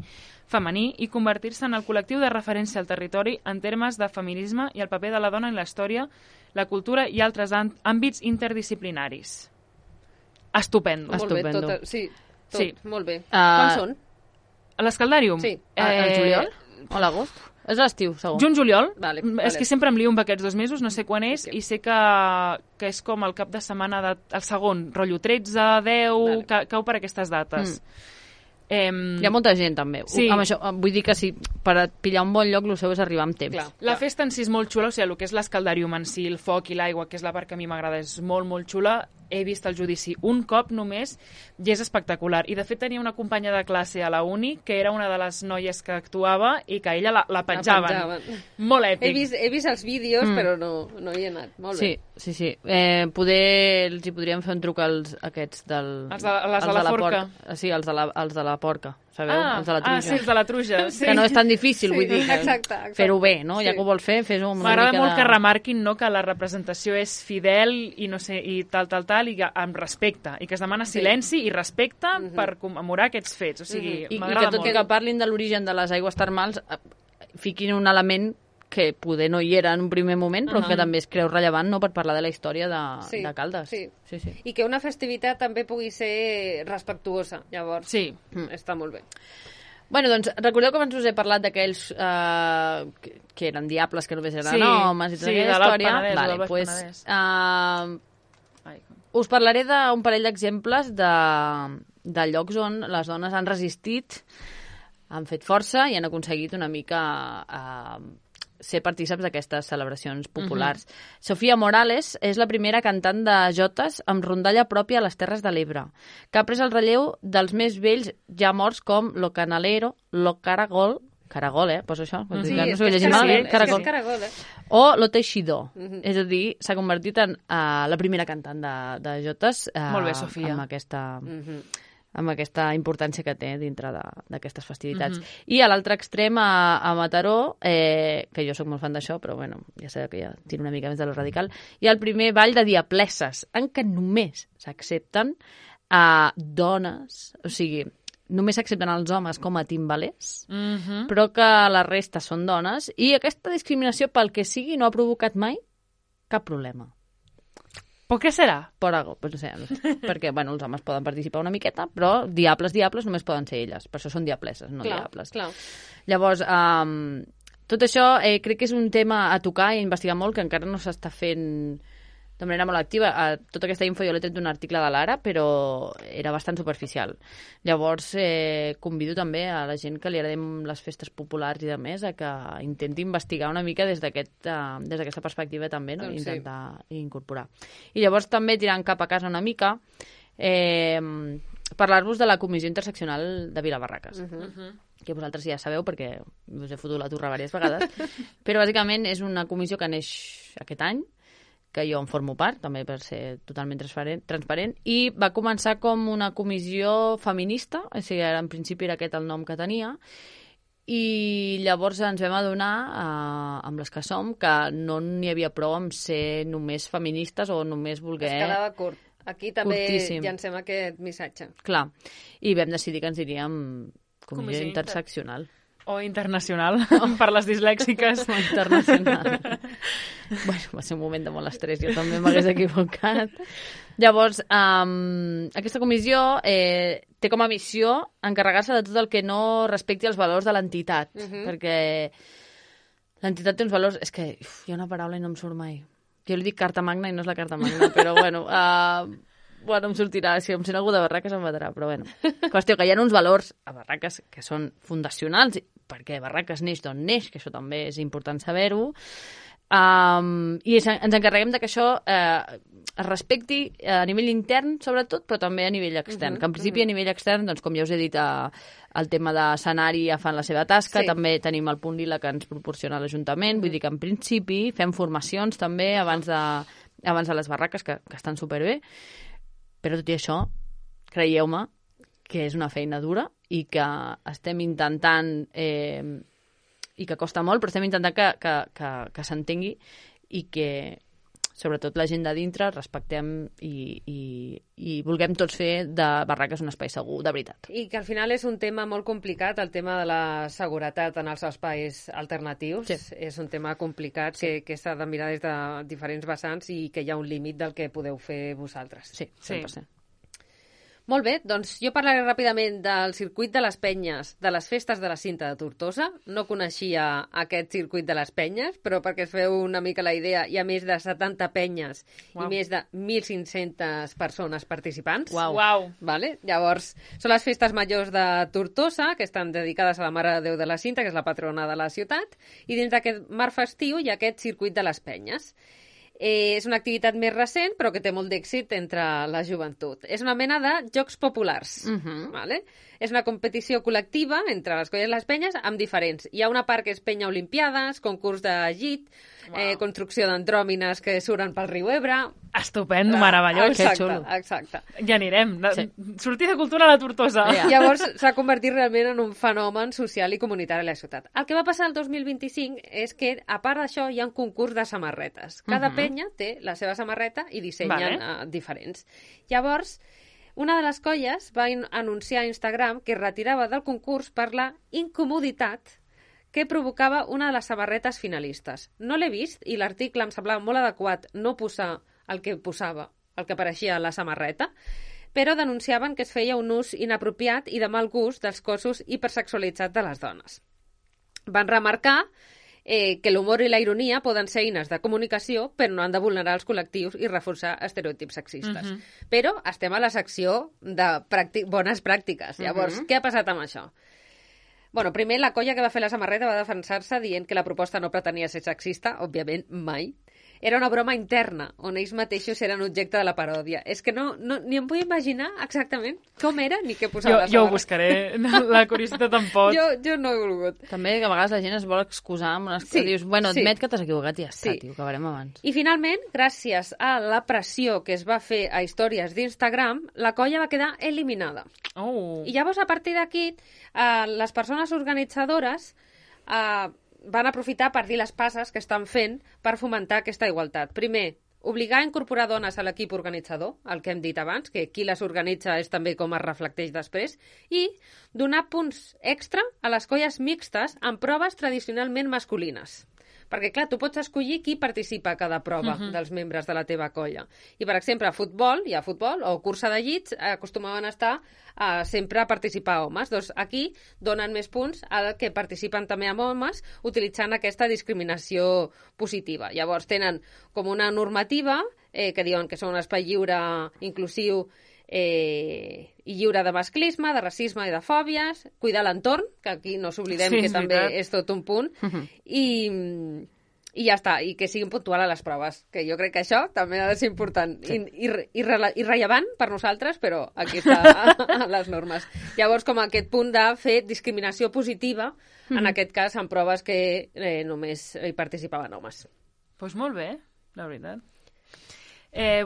B: i convertir-se en el col·lectiu de referència al territori en termes de feminisme i el paper de la dona en la història, la cultura i altres àmbits interdisciplinaris. Estupendo.
A: Molt bé, tot, molt bé. Quan són?
B: A l'Escaldàrium?
A: Sí.
C: El juliol o l'agost? És l'estiu, segur.
B: Juny-juliol.
A: Vale.
B: És que sempre em lio amb aquests 2 mesos, no sé quan és, i sé que és com el cap de setmana el segon, rotllo 13, 10, cau per aquestes dates.
C: Hi ha molta gent, també.
B: Sí.
C: Amb això, vull dir que si per pillar un bon lloc el seu és arribar amb temps.
B: La festa en si és molt xula, o sigui, el que és l'Escaldàrium en si, el foc i l'aigua, que és la part que a mi m'agrada, és molt, molt xula. He vist el judici un cop només i és espectacular. I de fet tenia una companya de classe a la uni que era una de les noies que actuava i que ella la penjaven. Molt èpic.
A: He vist els vídeos, però no hi he anat. Molt bé.
C: Sí. Poder els hi podríem fer un truc als aquests
B: Els de la Forca.
C: Sí, els de la Porca. Sabeu? Els de la Truja.
B: Sí, els de la Truja. Sí.
C: Que no és tan difícil, vull dir.
A: Exacte.
C: Fer-ho bé, no? Ja que ho vols fer, fes-ho amb una mica de...
B: M'agrada molt que remarquin que la representació és fidel i no sé, i tal, i amb respecte, i que es demana silenci i respecte per commemorar aquests fets. O sigui, m'agrada molt.
C: I que parlin de l'origen de les aigües termals, fiquin un element que poder no hi era en un primer moment, però que també es creu rellevant, no?, per parlar de la història de Caldes.
A: Sí. I que una festivitat també pugui ser respectuosa, llavors.
B: Sí.
A: Està molt bé.
C: Bueno, doncs, recordeu que abans us he parlat d'aquells que eren diables, que només eren homes i tota aquella història?
B: Penedès,
C: us parlaré d'un parell d'exemples de llocs on les dones han resistit, han fet força i han aconseguit una mica ser partíceps d'aquestes celebracions populars. Sofia Morales és la primera cantant de jotes amb rondalla pròpia a les Terres de l'Ebre, que ha pres el relleu dels més vells ja morts com Lo Canalero, Lo Caragol, poso això, no sé llegir malament,
A: Caragol. És Caragol,
C: o Lo Teixidor. És a dir, s'ha convertit en la primera cantant de jotes
B: Molt bé, Sofia.
C: amb aquesta importància que té dintre d'aquestes festivitats. I a l'altre extrem, a Mataró, que jo sóc molt fan d'això, però bueno, ja sabeu que ja tiro una mica més de lo radical, hi ha el primer ball de diapleses, en què només s'accepten dones, o sigui, només s'accepten els homes com a timbalers, però que la resta són dones, i aquesta discriminació, pel que sigui, no ha provocat mai cap problema.
B: Per què serà?
C: Per algo, pues no sé, perquè bueno, els homes poden participar una miqueta, però diables només poden ser elles. Per això són diapleses, no diables.
A: Clar.
C: Llavors, tot això crec que és un tema a tocar i a investigar molt, que encara no s'està fent de manera molt activa. Tota aquesta info jo l'he tret d'un article de l'Ara, però era bastant superficial. Llavors, convido també a la gent que li agradem les festes populars i de més a que intenti investigar una mica des d'aquesta perspectiva també, no?
A: Doncs
C: Intentar incorporar. I llavors també tirant cap a casa una mica, parlar-vos de la Comissió Interseccional de Vilabarraques. Que vosaltres ja sabeu perquè us he fotut la turra diverses vegades, però bàsicament és una comissió que neix aquest any, que jo en formo part, també per ser totalment transparent, i va començar com una comissió feminista, o sigui, en principi era aquest el nom que tenia, i llavors ens vam adonar, amb les que som, que no n'hi havia prou amb ser només feministes o només voler...
A: Es quedava curt. Aquí també
C: curtíssim.
A: Llancem aquest missatge.
C: Clar, i vam decidir que ens diríem comissió interseccional.
B: O internacional, per les dislèxiques.
C: O internacional. Bueno, va ser un moment de molt estrès, jo també m'hagués equivocat. Llavors, aquesta comissió té com a missió encarregar-se de tot el que no respecti els valors de l'entitat, perquè l'entitat té uns valors... És que hi ha una paraula i no em surt mai. Jo li dic carta magna i no és la carta magna, però bueno... Bueno, em sortirà, si em sent algú de Barraques em matarà, però bueno. Qüestió que hi ha uns valors a Barraques que són fundacionals, perquè Barraques neix d'on neix, que això també és important saber-ho, i ens encarreguem de que això es respecti a nivell intern, sobretot, però també a nivell extern. Que en principi a nivell extern, doncs, com ja us he dit, el tema d'escenari ja fan la seva tasca, també tenim el punt lila que ens proporciona l'Ajuntament, vull dir que en principi fem formacions també abans de les barraques, que estan superbé, però tot i això, creieu-me que és una feina dura i que estem intentant, i que costa molt, però estem intentant que s'entengui i que, sobretot la gent de dintre, respectem i vulguem tots fer de Barraques un espai segur, de veritat.
A: I que al final és un tema molt complicat, el tema de la seguretat en els espais alternatius. Sí. És un tema complicat que s'ha de mirar des de diferents vessants i que hi ha un límit del que podeu fer vosaltres.
C: Sí, 100%.
A: Molt bé, doncs jo parlaré ràpidament del circuit de les penyes, de les festes de la Cinta de Tortosa. No coneixia aquest circuit de les penyes, però perquè es feu una mica la idea, hi ha més de 70 penyes i més de 1.500 persones participants.
B: Uau.
A: Vale? Llavors, són les festes majors de Tortosa, que estan dedicades a la Mare de Déu de la Cinta, que és la patrona de la ciutat, i dins d'aquest marc festiu hi ha aquest circuit de les penyes. És una activitat més recent, però que té molt d'èxit entre la joventut. És una mena de jocs populars. Vale? És una competició col·lectiva entre les colles i les penyes amb diferents. Hi ha una part que és penya olimpiades, concurs de llit, construcció d'andròmines que surten pel riu Ebre...
B: Estupendo, meravellós.
C: Que xulo.
A: Exacte.
B: Ja anirem. Sortir de cultura a la Tortosa.
A: Llavors s'ha convertit realment en un fenomen social i comunitari a la ciutat. El que va passar el 2025 és que, a part d'això, hi ha un concurs de samarretes. Cada penya té la seva samarreta i dissenyen diferents. Llavors, una de les colles va anunciar a Instagram que es retirava del concurs per la incomoditat que provocava una de les samarretes finalistes. No l'he vist i l'article em semblava molt adequat no posar el que posava, el que apareixia a la samarreta, però denunciaven que es feia un ús inapropiat i de mal gust dels cossos hipersexualitzats de les dones. Van remarcar que l'humor i la ironia poden ser eines de comunicació, però no han de vulnerar els col·lectius i reforçar estereotips sexistes. Però estem a la secció de bones pràctiques. Llavors, què ha passat amb això? Bueno, primer, la colla que va fer la samarreta va defensar-se dient que la proposta no pretenia ser sexista, òbviament, mai. Era una broma interna, on ells mateixos eren objecte de la paròdia. És que ni em vull imaginar exactament com era ni què posava la
B: Jo ho
A: samarreta.
B: buscaré, la curiositat em pot.
A: Jo no he volgut.
C: També que a vegades la gent es vol excusar amb unes
A: Sí,
C: coses. Dius, bueno,
A: sí.
C: admet que t'has equivocat i ja està,
A: Sí.
C: tio, acabarem abans.
A: I finalment, gràcies a la pressió que es va fer a històries d'Instagram, la colla va quedar eliminada.
B: Oh.
A: I llavors, a partir d'aquí, les persones organitzadores van aprofitar per dir les passes que estan fent per fomentar aquesta igualtat. Primer, obligar a incorporar dones a l'equip organitzador, el que hem dit abans, que qui les organitza és també com es reflecteix després, i donar punts extra a les colles mixtes en proves tradicionalment masculines. Perquè, clar, tu pots escollir qui participa a cada prova dels membres de la teva colla. I, per exemple, a futbol, hi ha futbol, o cursa de llits, acostumaven a estar sempre a participar homes. Doncs aquí donen més punts al que participen també amb homes, utilitzant aquesta discriminació positiva. Llavors, tenen com una normativa que diuen que són un espai lliure, inclusiu, i lliure de masclisme, de racisme i de fòbies, cuidar l'entorn, que aquí no s'oblidem
B: Sí,
A: que
B: és
A: també
B: veritat.
A: és tot un punt, i ja està, i que siguin puntuals a les proves, que jo crec que això també ha de ser important i rellevant per nosaltres, però aquí està a les normes. Llavors, com aquest punt de fer discriminació positiva, en aquest cas, en proves que només hi participaven homes.
B: Doncs molt bé, la veritat.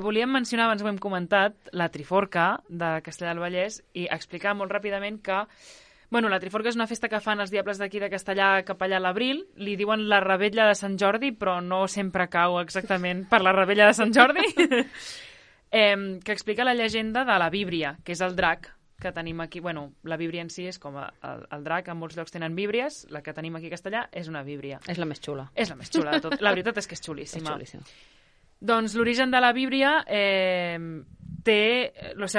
B: Volíem mencionar, abans ho hem comentat, la Triforca de Castellar del Vallès i explicar molt ràpidament que la Triforca és una festa que fan els diables d'aquí de Castellar cap allà a l'abril. Li diuen la Revetlla de Sant Jordi, però no sempre cau exactament per la Revetlla de Sant Jordi. Que explica la llegenda de la Víbria, que és el drac que tenim aquí. La Víbria en si és com el drac, en molts llocs tenen víbries, la que tenim aquí a Castellar és una víbria.
C: És la més xula.
B: És la més xula de tot. La veritat és que és xulíssima.
C: És xulíssima.
B: Doncs l'origen de la Víbria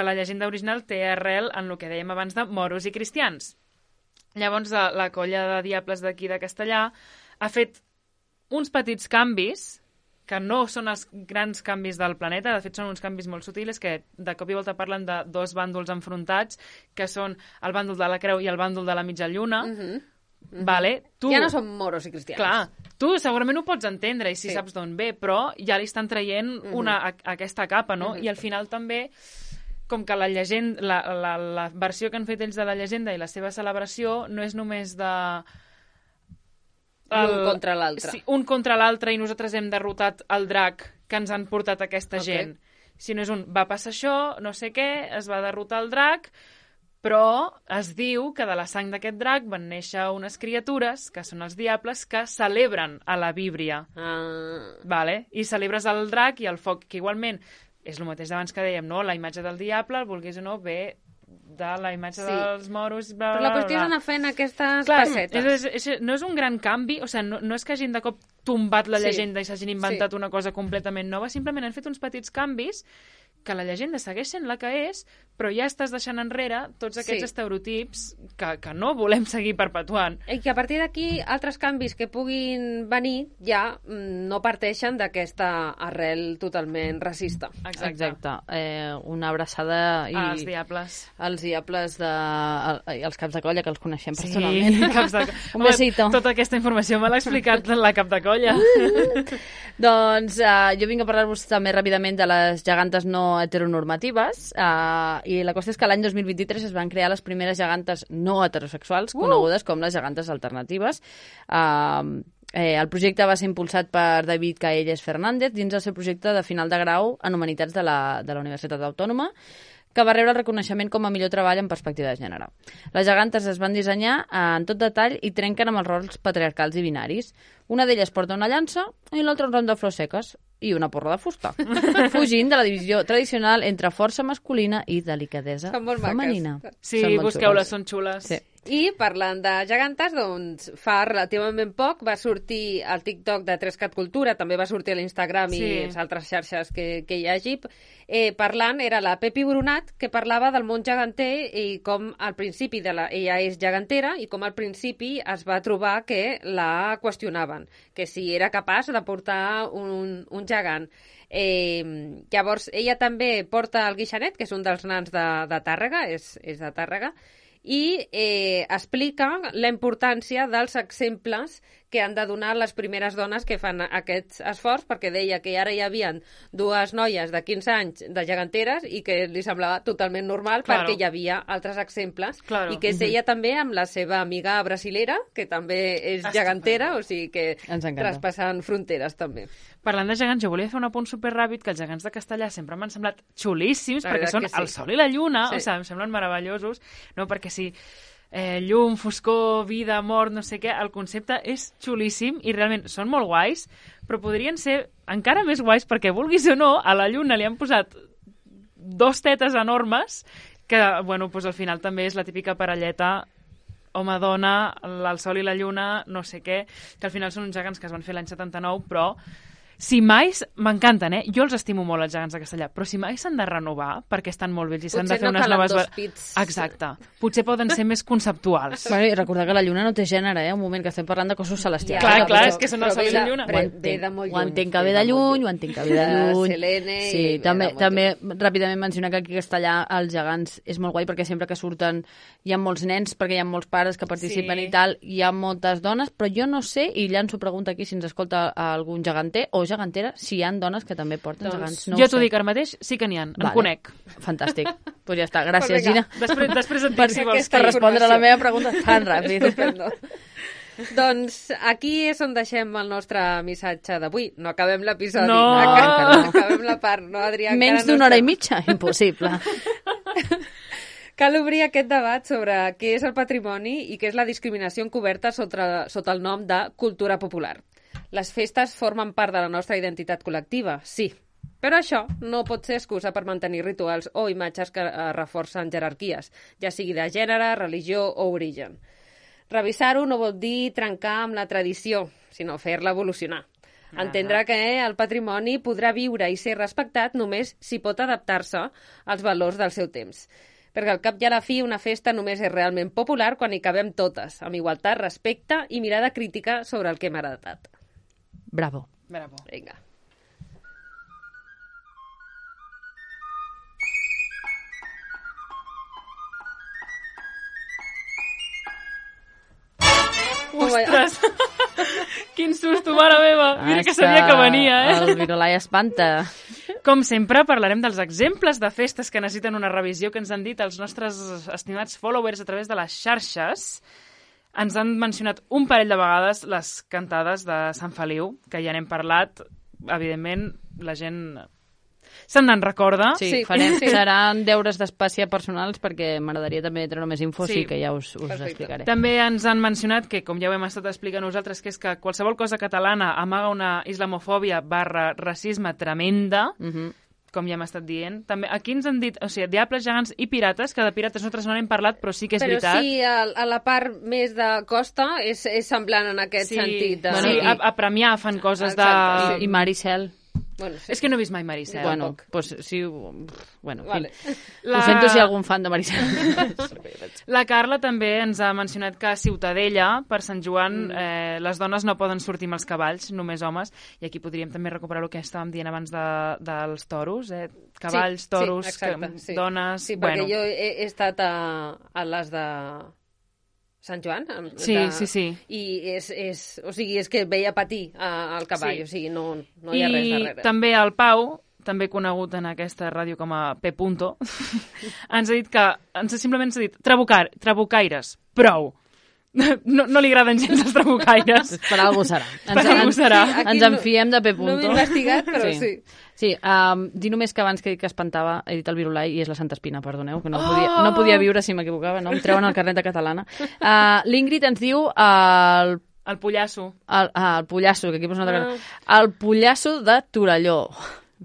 B: la llegenda original té arrel en el que dèiem abans de moros i cristians. Llavors la colla de diables d'aquí de Castellar ha fet uns petits canvis que no són els grans canvis del planeta, de fet són uns canvis molt sutils que de cop i volta parlen de dos bàndols enfrontats, que són el bàndol de la creu i el bàndol de la mitja lluna. Vale? Tu,
A: Ja no som moros i cristians.
B: clar, tu segurament ho pots entendre i si saps d'on ve, però ja li estan traient aquesta capa, no? I al final també, com que la llegenda, la versió que han fet ells de la llegenda i la seva celebració no és només de...
A: Un contra l'altre.
B: Sí, un contra l'altre i nosaltres hem derrotat el drac que ens han portat aquesta gent. Si no és va passar això, no sé què, es va derrotar el drac, però es diu que de la sang d'aquest drac van néixer unes criatures, que són els diables, que celebren a la Víbria. Vale? I celebres el drac i el foc, que igualment és el mateix d'abans que dèiem, no? La imatge del diable, el vulguis o no, ve de la imatge dels moros... Bla,
A: Però la qüestió és anar fent aquestes
B: Clar,
A: passetes.
B: no és un gran canvi, o sigui, no és que hagin de cop tombat la llegenda i s'hagin inventat una cosa completament nova, simplement han fet uns petits canvis que la llegenda segueix sent la que és, però ja estàs deixant enrere tots aquests estereotips que no volem seguir perpetuant.
A: I que a partir d'aquí altres canvis que puguin venir ja no parteixen d'aquesta arrel totalment racista.
B: Exacte.
C: Una abraçada
B: als diables.
C: Als diables i els caps de colla, que els coneixem personalment.
B: Sí, caps de colla.
C: Un besito.
B: Tota aquesta informació me l'ha explicat la cap de colla.
C: Doncs jo vinc a parlar-vos també ràpidament de les gegantes no heteronormatives i la qüestió és que l'any 2023 es van crear les primeres gegantes no heterosexuals conegudes com les gegantes alternatives. El projecte va ser impulsat per David Caelles Fernández dins del seu projecte de final de grau en Humanitats de la Universitat Autònoma, que va rebre el reconeixement com a millor treball en perspectiva de gènere. Les gegantes es van dissenyar en tot detall i trenquen amb els rols patriarcals i binaris. Una d'elles porta una llança i l'altra un ram de flors seques i una porra de fusta, fugint de la divisió tradicional entre força masculina i delicadesa
A: Són molt
C: femenina.
A: maques.
B: Sí,
C: Són molt
B: busqueu-les,
C: xules.
B: són xules.
C: Sí.
A: I parlant de gegantes, doncs fa relativament poc va sortir al TikTok de 3Cat Cultura, també va sortir a l'Instagram i les altres xarxes que hi hagi, parlant, era la Pepi Brunat, que parlava del món geganter i com al principi ella és gegantera i com al principi es va trobar que la qüestionaven, que si era capaç de portar un gegant. Llavors, ella també porta el guixanet, que és un dels nans de Tàrrega, és de Tàrrega, i explica la importància dels exemples que han de donar les primeres dones que fan aquest esforç, perquè deia que ara hi havia dues noies de 15 anys de geganteres i que li semblava totalment normal perquè hi havia altres exemples i que és ella també amb la seva amiga brasilera, que també és gegantera, o sigui que traspassen fronteres també.
B: Parlant de gegants, jo volia fer un apunt superràpid, que els gegants de Castellà sempre m'han semblat xulíssims, perquè són el sol i la lluna, o sigui, em semblen meravellosos, no? Perquè sí, llum, foscor, vida, mort, no sé què, el concepte és xulíssim i realment són molt guais, però podrien ser encara més guais perquè, vulguis o no, a la lluna li han posat 2 tetes enormes que, bueno, doncs al final també és la típica parelleta home-dona, el sol i la lluna, no sé què, que al final són uns gegants que es van fer l'any 79, però si mai, m'encanten, jo els estimo molt, els gegants de Castellà, però si mai s'han de renovar, perquè estan molt vells i s'han de fer unes noves...
A: Potser no calen 2 pits.
B: Exacte. Potser poden ser més conceptuals.
C: Bueno, i recordar que la lluna no té gènere, un moment que estem parlant de cossos celestials.
B: Clar, és que són el sol i la lluna.
C: Ho entenc que ve de lluny, ho entenc que ve de lluny.
A: Selene...
C: Sí, també ràpidament mencionar que aquí a Castellà els gegants és molt guai perquè sempre que surten hi ha molts nens, perquè hi ha molts pares que participen i tal, hi ha moltes dones, però jo no sé, i llanço pregunta aquí si ens escolta algun geganter o gegantera, si hi ha dones que també porten gegants.
B: Jo t'ho dic ara mateix, sí que n'hi ha, en conec.
C: Fantàstic. Pues ja està, gràcies, Gina.
B: Després et dic si vols.
C: Per respondre a la meva pregunta tan ràpid.
A: Doncs aquí és on deixem el nostre missatge d'avui. No acabem l'episodi.
B: No.
A: Acabem la part, no, Adrià?
C: Menys d'una hora i mitja? Impossible.
A: Cal obrir aquest debat sobre què és el patrimoni i què és la discriminació encoberta sota el nom de cultura popular. Les festes formen part de la nostra identitat col·lectiva, sí. Però això no pot ser excusa per mantenir rituals o imatges que reforcen jerarquies, ja sigui de gènere, religió o origen. Revisar-ho no vol dir trencar amb la tradició, sinó fer-la evolucionar. Entendre que el patrimoni podrà viure i ser respectat només si pot adaptar-se als valors del seu temps. Perquè al cap i a la fi una festa només és realment popular quan hi cabem totes, amb igualtat, respecte i mirada crítica sobre el que hem heretat.
C: Bravo.
A: Vinga.
B: Ostres! Quin susto, mare meva! Mira que sabia que venia,
C: El virolai espanta.
B: Com sempre, parlarem dels exemples de festes que necessiten una revisió que ens han dit els nostres estimats followers a través de les xarxes. Ens han mencionat un parell de vegades les cantades de Sant Feliu, que ja n'hem parlat. Evidentment, la gent se'n en recorda.
C: Sí. Seran deures d'espàcia personals perquè m'agradaria també treure més info, sí que ja us explicaré.
B: També ens han mencionat que, com ja ho hem estat explicant nosaltres, que és que qualsevol cosa catalana amaga una islamofòbia / racisme tremenda, com ja hem estat dient. També, aquí ens han dit, o sigui, diables, gegants i pirates, que de pirates nosaltres no n'hem parlat, però sí que és veritat.
A: Però sí, a la part més de costa és semblant en aquest sentit.
B: Sí, a Premià fan coses
A: exacte,
B: de...
C: I Maricel.
A: Bueno, sí.
B: És que no he vist mai Maricel.
C: Bueno, pues sí, bueno,
A: vale.
C: Ho sento si hi ha algun fan de Maricel.
B: La Carla també ens ha mencionat que a Ciutadella, per Sant Joan, les dones no poden sortir amb els cavalls, només homes, i aquí podríem també recuperar el que estàvem dient abans dels toros, cavalls, toros, dones...
A: Sí, perquè jo he estat a les de... Sant Joan?
B: Sí.
A: I és que veia patir el cavall, o sigui, no hi ha res darrere.
B: I també el Pau, també conegut en aquesta ràdio com a P. ens ha dit que, simplement s'ha dit, trabucaires, prou. No li agraden gens els trabucaires.
C: Per algú serà. Ens en fiem de P.
A: No m'he investigat, però sí.
C: Sí, dir només que abans que he dit que espantava, he dit el virulai i és la Santa Espina, perdoneu, que no podia viure si m'equivocava, no? Em treuen el carnet de catalana. L'Ingrid ens diu
B: el pollasso.
C: El pollasso, que aquí posa una altra cosa. El pollasso de Torelló.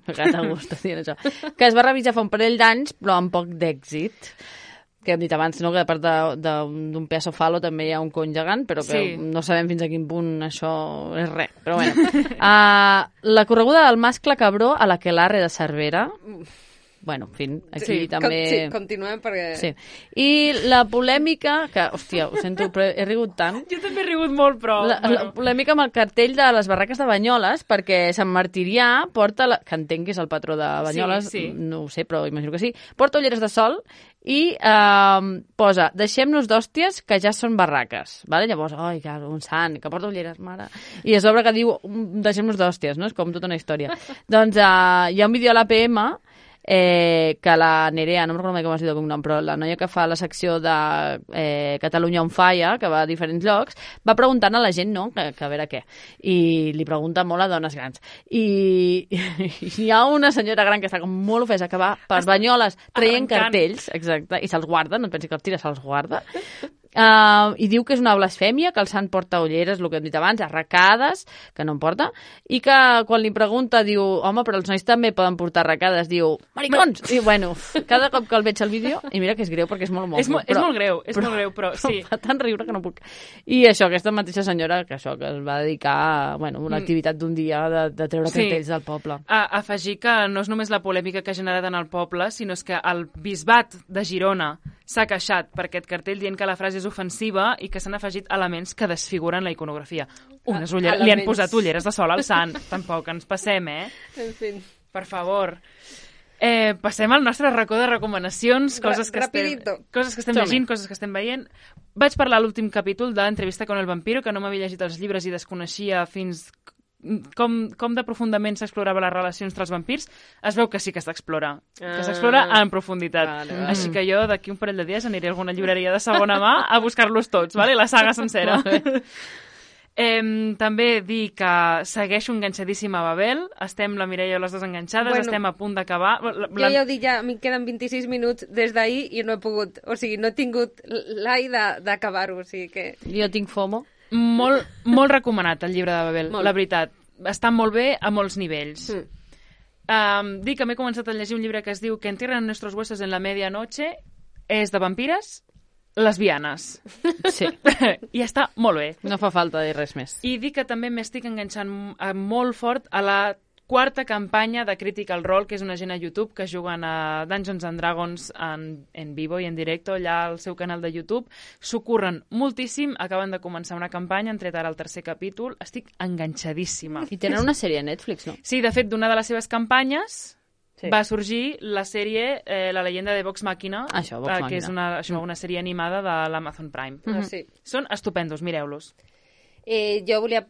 C: M'agrada gust dir això. Que es va revisar fa un parell d'anys, però amb poc d'èxit. Que hem dit abans, no? Que a part d'un peso falo també hi ha un cony gegant, però que no sabem fins a quin punt això és res. Però bueno. La correguda del mascle cabró a l'Aquelarre de Cervera. Bueno, en fi, aquí també...
A: Sí, continuem perquè...
C: Sí. I la polèmica, que, hòstia, ho sento, però he rigut tant.
B: Jo també he rigut molt, però...
C: La polèmica amb el cartell de les barraques de Banyoles, perquè Sant Martirià porta, que entenc que és el patró de Banyoles, no ho sé, però imagino que sí, porta ulleres de sol i posa, deixem-nos d'hòsties que ja són barraques, vale? Llavors, ai, que un sant, que porta ulleres, mare. I a sobre que diu, deixem-nos d'hòsties, no? És com tota una història. Doncs hi ha un vídeo a l'APM que la Nerea, no me'n recordo mai com es diu el cognom, però la noia que fa la secció de Catalunya on Falla, que va a diferents llocs, va preguntant a la gent, no?, que a veure què. I li pregunta molt a dones grans. I hi ha una senyora gran que està com molt ofesa, que va per Banyoles traient cartells, exacte, i se'ls guarda, no et pensi que els tira, se'ls guarda. I diu que és una blasfèmia, que el sant porta ulleres, el que hem dit abans, arracades, que no en porta, i que quan li pregunta diu, home, però els nois també poden portar arracades, diu, maricons! I bueno, cada cop que el veig al vídeo, i mira que és greu perquè és molt
B: És molt greu, però sí.
C: Fa tant riure que no puc. I això, aquesta mateixa senyora que es va dedicar a una activitat d'un dia de treure cartells del poble.
B: Afegir que no és només la polèmica que ha generat en el poble, sinó és que el bisbat de Girona s'ha queixat per aquest cartell dient que la frase és ofensiva i que s'han afegit elements que desfiguren la iconografia. Unes ulleres, li han posat ulleres de sol al sant. Tampoc ens passem,
A: En fi.
B: Per favor. Passem al nostre racó de recomanacions, coses que estem llegint, coses que estem veient. Vaig parlar a l'últim capítol d'Entrevista con el vampiro, que no m'havia llegit els llibres i desconeixia fins com de profundament s'explorava les relacions entre els vampirs. Es veu que sí que s'explora, que s'explora en profunditat. Vale. Així que jo d'aquí un parell de dies aniré a alguna llibreria de segona mà a buscar-los tots, vale? La saga sencera. També dir que segueixo enganxadíssima a Babel. Estem la Mireia i les dues enganxades, estem a punt d'acabar.
A: Jo ja ho dic, ja m'hi queden 26 minuts des d'ahir i no he pogut, o sigui, no he tingut l'ai d'acabar-ho, o sigui que...
C: Jo tinc FOMO.
B: Molt recomanat el llibre de Babel, la veritat. Està molt bé a molts nivells. Dic que m'he començat a llegir un llibre que es diu Que entierran nuestros huesos en la medianoche. És de vampires lesbianes.
C: Sí.
B: I està molt bé.
C: No fa falta dir res més.
B: I dic que també m'estic enganxant molt fort a la quarta campanya de Critical Role, que és una gent a YouTube que juguen a Dungeons and Dragons en vivo i en directo, allà al seu canal de YouTube. S'ho curren moltíssim, acaben de començar una campanya, han tret ara el tercer capítol, estic enganxadíssima.
C: I tenen una sèrie a Netflix, no?
B: Sí, de fet, d'una de les seves campanyes va sorgir la sèrie La leyenda de Vox Machina, que és una sèrie animada de l'Amazon Prime.
A: Sí.
B: Són estupendos, mireu-los.
A: Jo volia,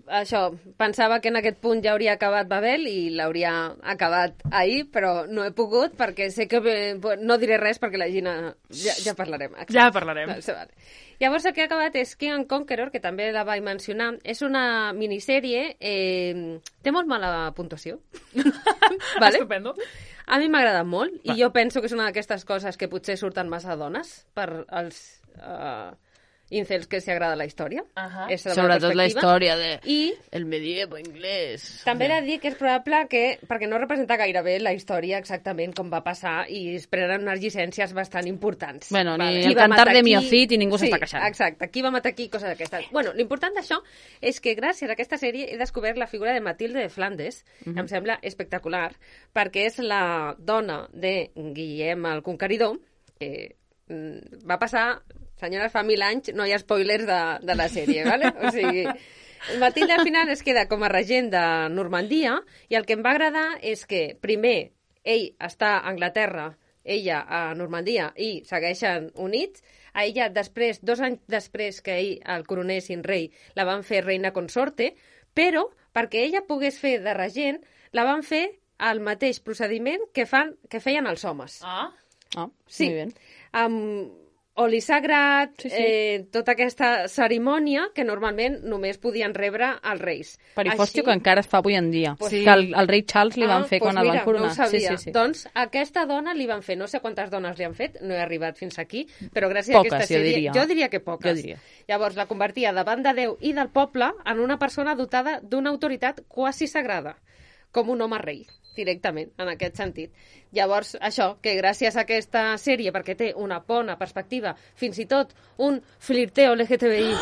A: pensava que en aquest punt ja hauria acabat Babel i l'hauria acabat ahir, però no he pogut perquè sé que no diré res perquè la Gina ja parlarem. Exacte.
B: Ja parlarem.
A: Vale. Llavors el que ha acabat és King and Conqueror, que també la vaig mencionar. És una minissèrie, té molt mala puntuació. Vale?
B: Estupendo.
A: A mi m'agrada molt i jo penso que és una d'aquestes coses que potser surten massa dones per als... incels que s'hi agrada la història.
C: Sobretot la història del medievo inglès.
A: També he de dir que és probable que, perquè no representa gaire bé la història exactament com va passar i es prenen unes llicències bastant importants.
C: Bueno, ni el cantar de Miocid i ningú s'està queixant.
A: Exacte, qui va matar aquí, coses d'aquestes. Bueno, l'important d'això és que gràcies a aquesta sèrie he descobert la figura de Matilde de Flandes, que em sembla espectacular, perquè és la dona de Guillem el Conqueridor, que va passar... Senyores, fa 1000 anys, no hi ha spoilers de la sèrie, ¿vale? O sigui, Matilde al final es queda com a regent de Normandia i el que em va agradar és que primer ell està a Anglaterra, ella a Normandia i segueixen units. A ella després, 2 anys després que ell el coronessin rei, la van fer reina consorte, però perquè ella pogués fer de regent, la van fer al mateix procediment que feien els homes. Sí.
C: Muy bien.
A: Oli sagrat, tota aquesta cerimònia que normalment només podien rebre els reis.
C: Perifòstio que encara es fa avui en dia. Que el rei Charles li van fer quan el van coronar.
A: No ho sabia. Sí. Doncs aquesta dona li van fer, no sé quantes dones li han fet, no he arribat fins aquí, però gràcies a aquesta sèrie... Jo diria que poques. Llavors la convertia davant de Déu i del poble en una persona dotada d'una autoritat quasi sagrada, com un home rei, directament, en aquest sentit. Llavors, això, que gràcies a aquesta sèrie, perquè té una bona perspectiva, fins i tot un flirteo LGTBI,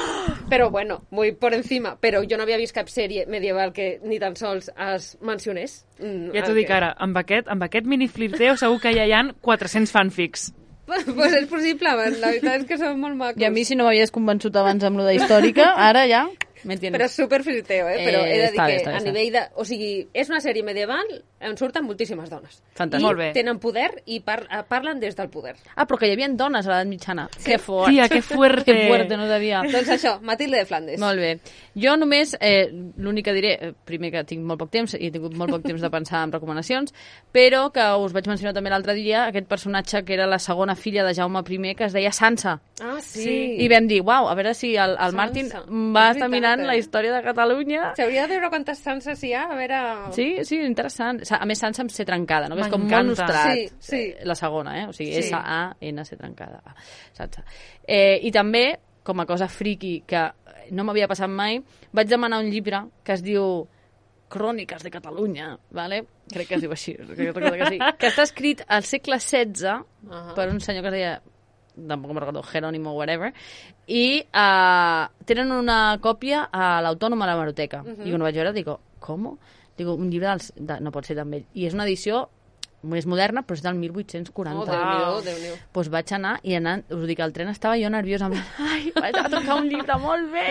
A: però bueno, muy por encima, però jo no havia vist cap sèrie medieval que ni tan sols es mencionés.
B: Ja t'ho dic ara, amb aquest mini flirteo segur que ja hi ha 400 fanfics.
A: Pues és possible, la veritat és que són molt macos.
C: I a mi, si no m'havies convençut abans amb lo de històrica, ara ja...
A: Però és super friteo, Però he de dir que
C: està
A: a nivell de... O sigui, és una sèrie medieval on surten moltíssimes dones.
C: Fantàstic.
A: I
B: Molt bé.
A: tenen poder i parlen des del poder.
C: Ah, però que hi havia dones a l'edat mitjana. Que fort.
B: Tia, que fuerte.
C: Que fuerte, no sabia.
A: Doncs això, Matilde de Flandes.
C: Molt bé. Jo només, l'únic que diré, primer que tinc molt poc temps i he tingut molt poc temps de pensar en recomanacions, però que us vaig mencionar també l'altre dia, aquest personatge que era la segona filla de Jaume I, que es deia Sansa.
A: Ah, sí.
C: I vam dir, uau, a veure si el Martin va
A: És
C: estar
A: veritat,
C: mirant la història de Catalunya.
A: S'hauria de veure quantes Sanses hi ha, a veure...
C: Sí, interessant. A més, Sansa amb C trencada, no? Que és com molt
B: M'encanta.
C: nostrat.
A: Sí.
C: La segona, O sigui,
B: Sí.
C: S-A-N-C trencada. Sansa. I també, com a cosa friki que no m'havia passat mai, vaig demanar un llibre que es diu Cròniques de Catalunya, ¿vale? Crec que es diu així, que sí. Que està escrit al segle XVI per un senyor que es deia, tampoc me'n recordo, Jerónimo whatever, i tenen una còpia a l'Autònoma a la Hemeroteca. I quan ho vaig veure dic, com? Digo, un llibre no pot ser tan vell. I és una edició més moderna, però és del 1840.
A: Oh, Déu-n'hi-do, Déu-n'hi-do.
C: Doncs vaig anar i anant, us dic, al tren estava jo nerviosa, en plan, ai, vaig a tocar un llibre molt bé.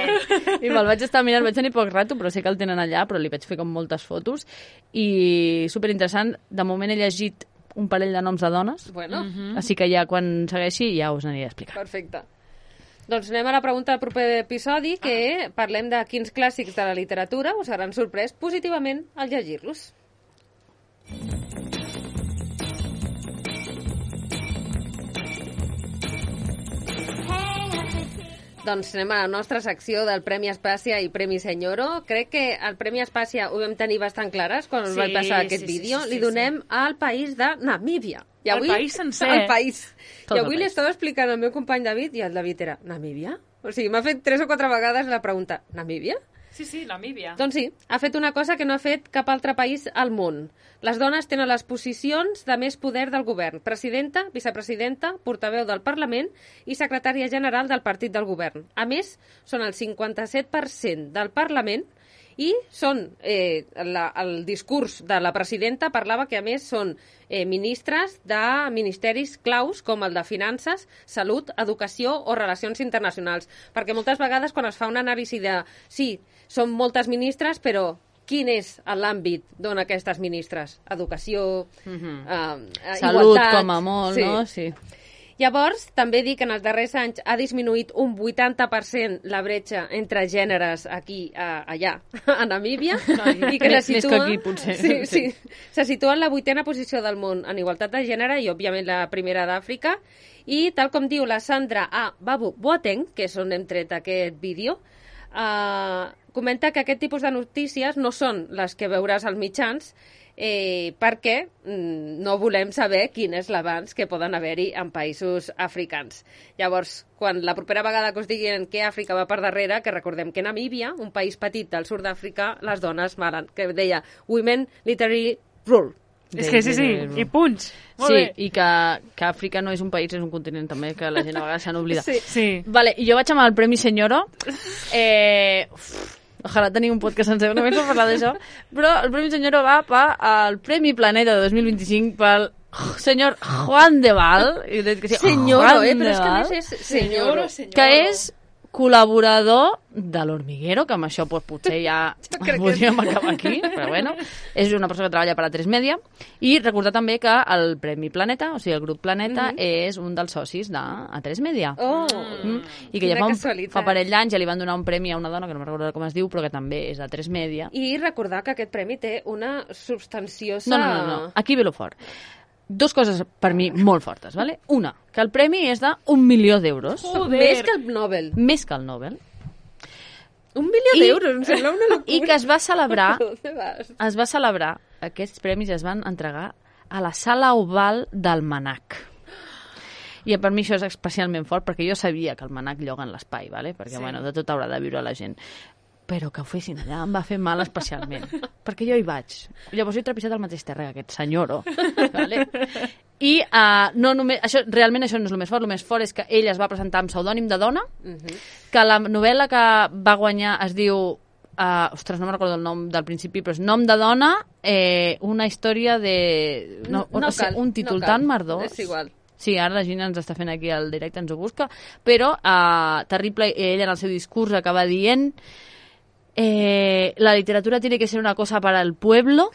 C: I me'l vaig estar mirant, vaig tenir poc rato, però sé que el tenen allà, però li vaig fer com moltes fotos. I superinteressant, de moment he llegit un parell de noms de dones,
A: Bueno,
C: així que ja quan segueixi ja us aniré a explicar.
A: perfecte. Doncs anem a la pregunta del proper episodi, que parlem de quins clàssics de la literatura us hauran sorprès positivament al llegir-los. Doncs anem a la nostra secció del Premi Espàcia i Premi Senyoro. Crec que el Premi Espàcia ho vam tenir bastant clares quan us vaig passar aquest vídeo. Li donem al país de Namíbia. I
B: El país sencer.
A: El país.
C: Tot
A: I
C: el
A: avui li
C: país.
A: estava explicant al meu company David, i el David era, Namíbia? O sigui, m'ha fet 3 o 4 vegades la pregunta, Namíbia?
B: Sí, Namíbia.
A: Doncs sí, ha fet una cosa que no ha fet cap altre país al món. Les dones tenen les posicions de més poder del govern. Presidenta, vicepresidenta, portaveu del Parlament i secretària general del partit del govern. A més, són el 57% del Parlament i són, el discurs de la presidenta parlava que a més són ministres de ministeris claus com el de Finances, Salut, Educació o Relacions Internacionals. Perquè moltes vegades quan es fa una anàlisi de sí, són moltes ministres, però quin és l'àmbit d'on aquestes ministres? Educació,
C: Salut,
A: igualtat...
C: com a molt, no? Sí.
A: Llavors, també dic que en els darrers anys ha disminuït un 80% la bretxa entre gèneres aquí, allà, a Namíbia, i que
C: Més
A: se
C: que
A: situa...
C: aquí, potser.
A: Sí. Se situa en la 8a posició del món en igualtat de gènere i, òbviament, la primera d'Àfrica. I, tal com diu la Sandra A. Babu Boateng, que és on hem tret aquest vídeo, comenta que aquest tipus de notícies no són les que veuràs als mitjans, perquè no volem saber quin és l'avanç que poden haver-hi en països africans. Llavors, quan la propera vegada que us diguin que Àfrica va per darrere, que recordem que Namíbia, un país petit del sud d'Àfrica, les dones malen, que deia Women Literary Rule.
B: És que sí, i punts. Molt
C: Sí,
B: bé.
C: i que Àfrica no és un país, és un continent també, que la gent a vegades se n'oblida.
B: Sí.
C: Vale, i jo vaig amb el Premi Senyoro. Ojalà tenir un podcast sencer només per parlar d'això. Però el Premi Senyoro va al Premi Planeta de 2025 pel senyor Juan de Val. I dic que sí,
A: Senyoro,
C: Juan
A: però
C: de
A: és que a
C: Val,
A: més és senyoro.
C: que és col·laborador de l'Hormiguero, que amb això pues, potser ja
A: crec que
C: podríem acabar aquí, però bueno, és una persona que treballa per a 3 Media, i recordar també que el Premi Planeta, o sigui, el grup Planeta, és un dels socis de A3 Media.
A: Oh,
C: I que ja
A: quina
C: fa
A: casualitat.
C: parell d'anys ja li van donar un premi a una dona, que no me'n recordo com es diu, però que també és de 3 Media.
A: I recordar que aquest premi té una substanciosa...
C: No. Aquí ve lo fort. 2 coses per mi molt fortes, ¿vale? Una, que el premi és de 1 milió d'euros,
A: Més que el Nobel.
C: més que el Nobel,
A: 1 milió d'euros, em sembla una locura.
C: i que es va celebrar
A: ¿Dónde vas?
C: aquests premis es van entregar a la sala oval del Manac. I per mi això és especialment fort, perquè jo sabia que el Manac lloga en l'espai, ¿vale? Perquè bueno, de tot haurà de viure la gent. Però que ho fessin allà em va fer mal especialment, perquè jo hi vaig. Llavors he trepitjat el mateix terra que aquest senyoro. ¿Vale? I no només, realment això no és el més fort és que ell es va presentar amb pseudònim de dona, que la novel·la que va guanyar es diu, ostres, no me'n recordo el nom del principi, però és Nom de dona, una història de... un títol tan merdós.
A: És igual.
C: Sí, ara la Gina ens està fent aquí el directe, ens ho busca, però terrible, ell en el seu discurs acaba dient la literatura tiene que ser una cosa para el pueblo,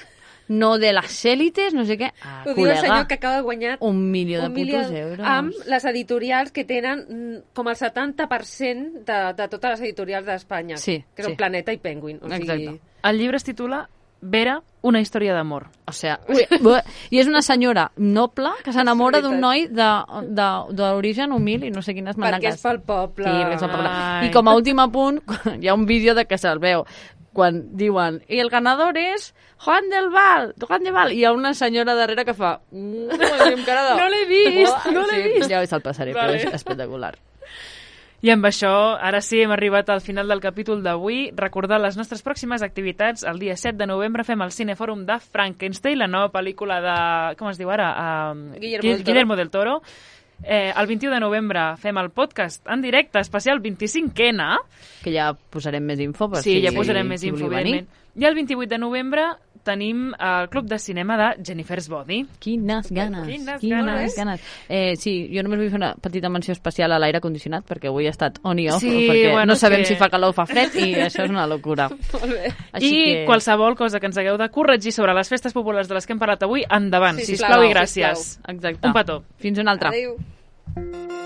C: no de las élites, no sé què.
A: Ho diu el senyor que acaba de guanyar
C: un milió de putos euros.
A: amb les editorials que tenen com el 70% de totes les editorials d'Espanya,
C: Sí,
A: que són
C: sí.
A: Planeta i Penguin. O sigui,
C: Exacte.
B: El llibre es titula Vera, una història d'amor.
C: O sea, i és una senyora noble que s'enamora d'un noi d'origen humil i no sé quines
A: perquè
C: mandangues.
A: és pel poble.
C: Sí, perquè és pel poble.
B: Ai.
C: I com a últim apunt, hi ha un vídeo de que se'l veu, quan diuen, i el ganador és Juan del Val, i hi ha una senyora darrere que fa... amb cara de...
B: No l'he vist, no l'he
C: Sí,
B: vist.
C: ja se'l passaré,
B: Vale.
C: però és espectacular.
B: I amb això, ara sí, hem arribat al final del capítol d'avui. Recordar les nostres pròximes activitats. El dia 7 de novembre fem el Cinefòrum de Frankenstein, la nova pel·lícula de... Com es diu ara?
A: Guillermo del Toro.
B: Toro. El 21 de novembre fem el podcast en directe especial 25ena.
C: Que ja posarem més info. Per
B: Sí,
C: si,
B: ja posarem més
C: si
B: info,
C: voleu venir.
B: evidentment. I el 28 de novembre tenim el Club de Cinema de Jennifer's Body.
C: Quines ganes.
B: Quines
C: ganes. Sí, jo només vull fer una petita menció especial a l'aire condicionat, perquè avui he estat on i off,
B: Sí,
C: perquè
B: bueno,
C: no sabem
B: que-
C: si fa calor o fa fred, i això és una locura.
A: Molt bé.
B: I qualsevol cosa que ens hagueu de corregir sobre les festes populars de les que hem parlat avui, endavant,
A: Sisplau,
B: sisplau i gràcies.
C: Exacte.
B: Un petó.
C: Fins una altra.
A: Adéu.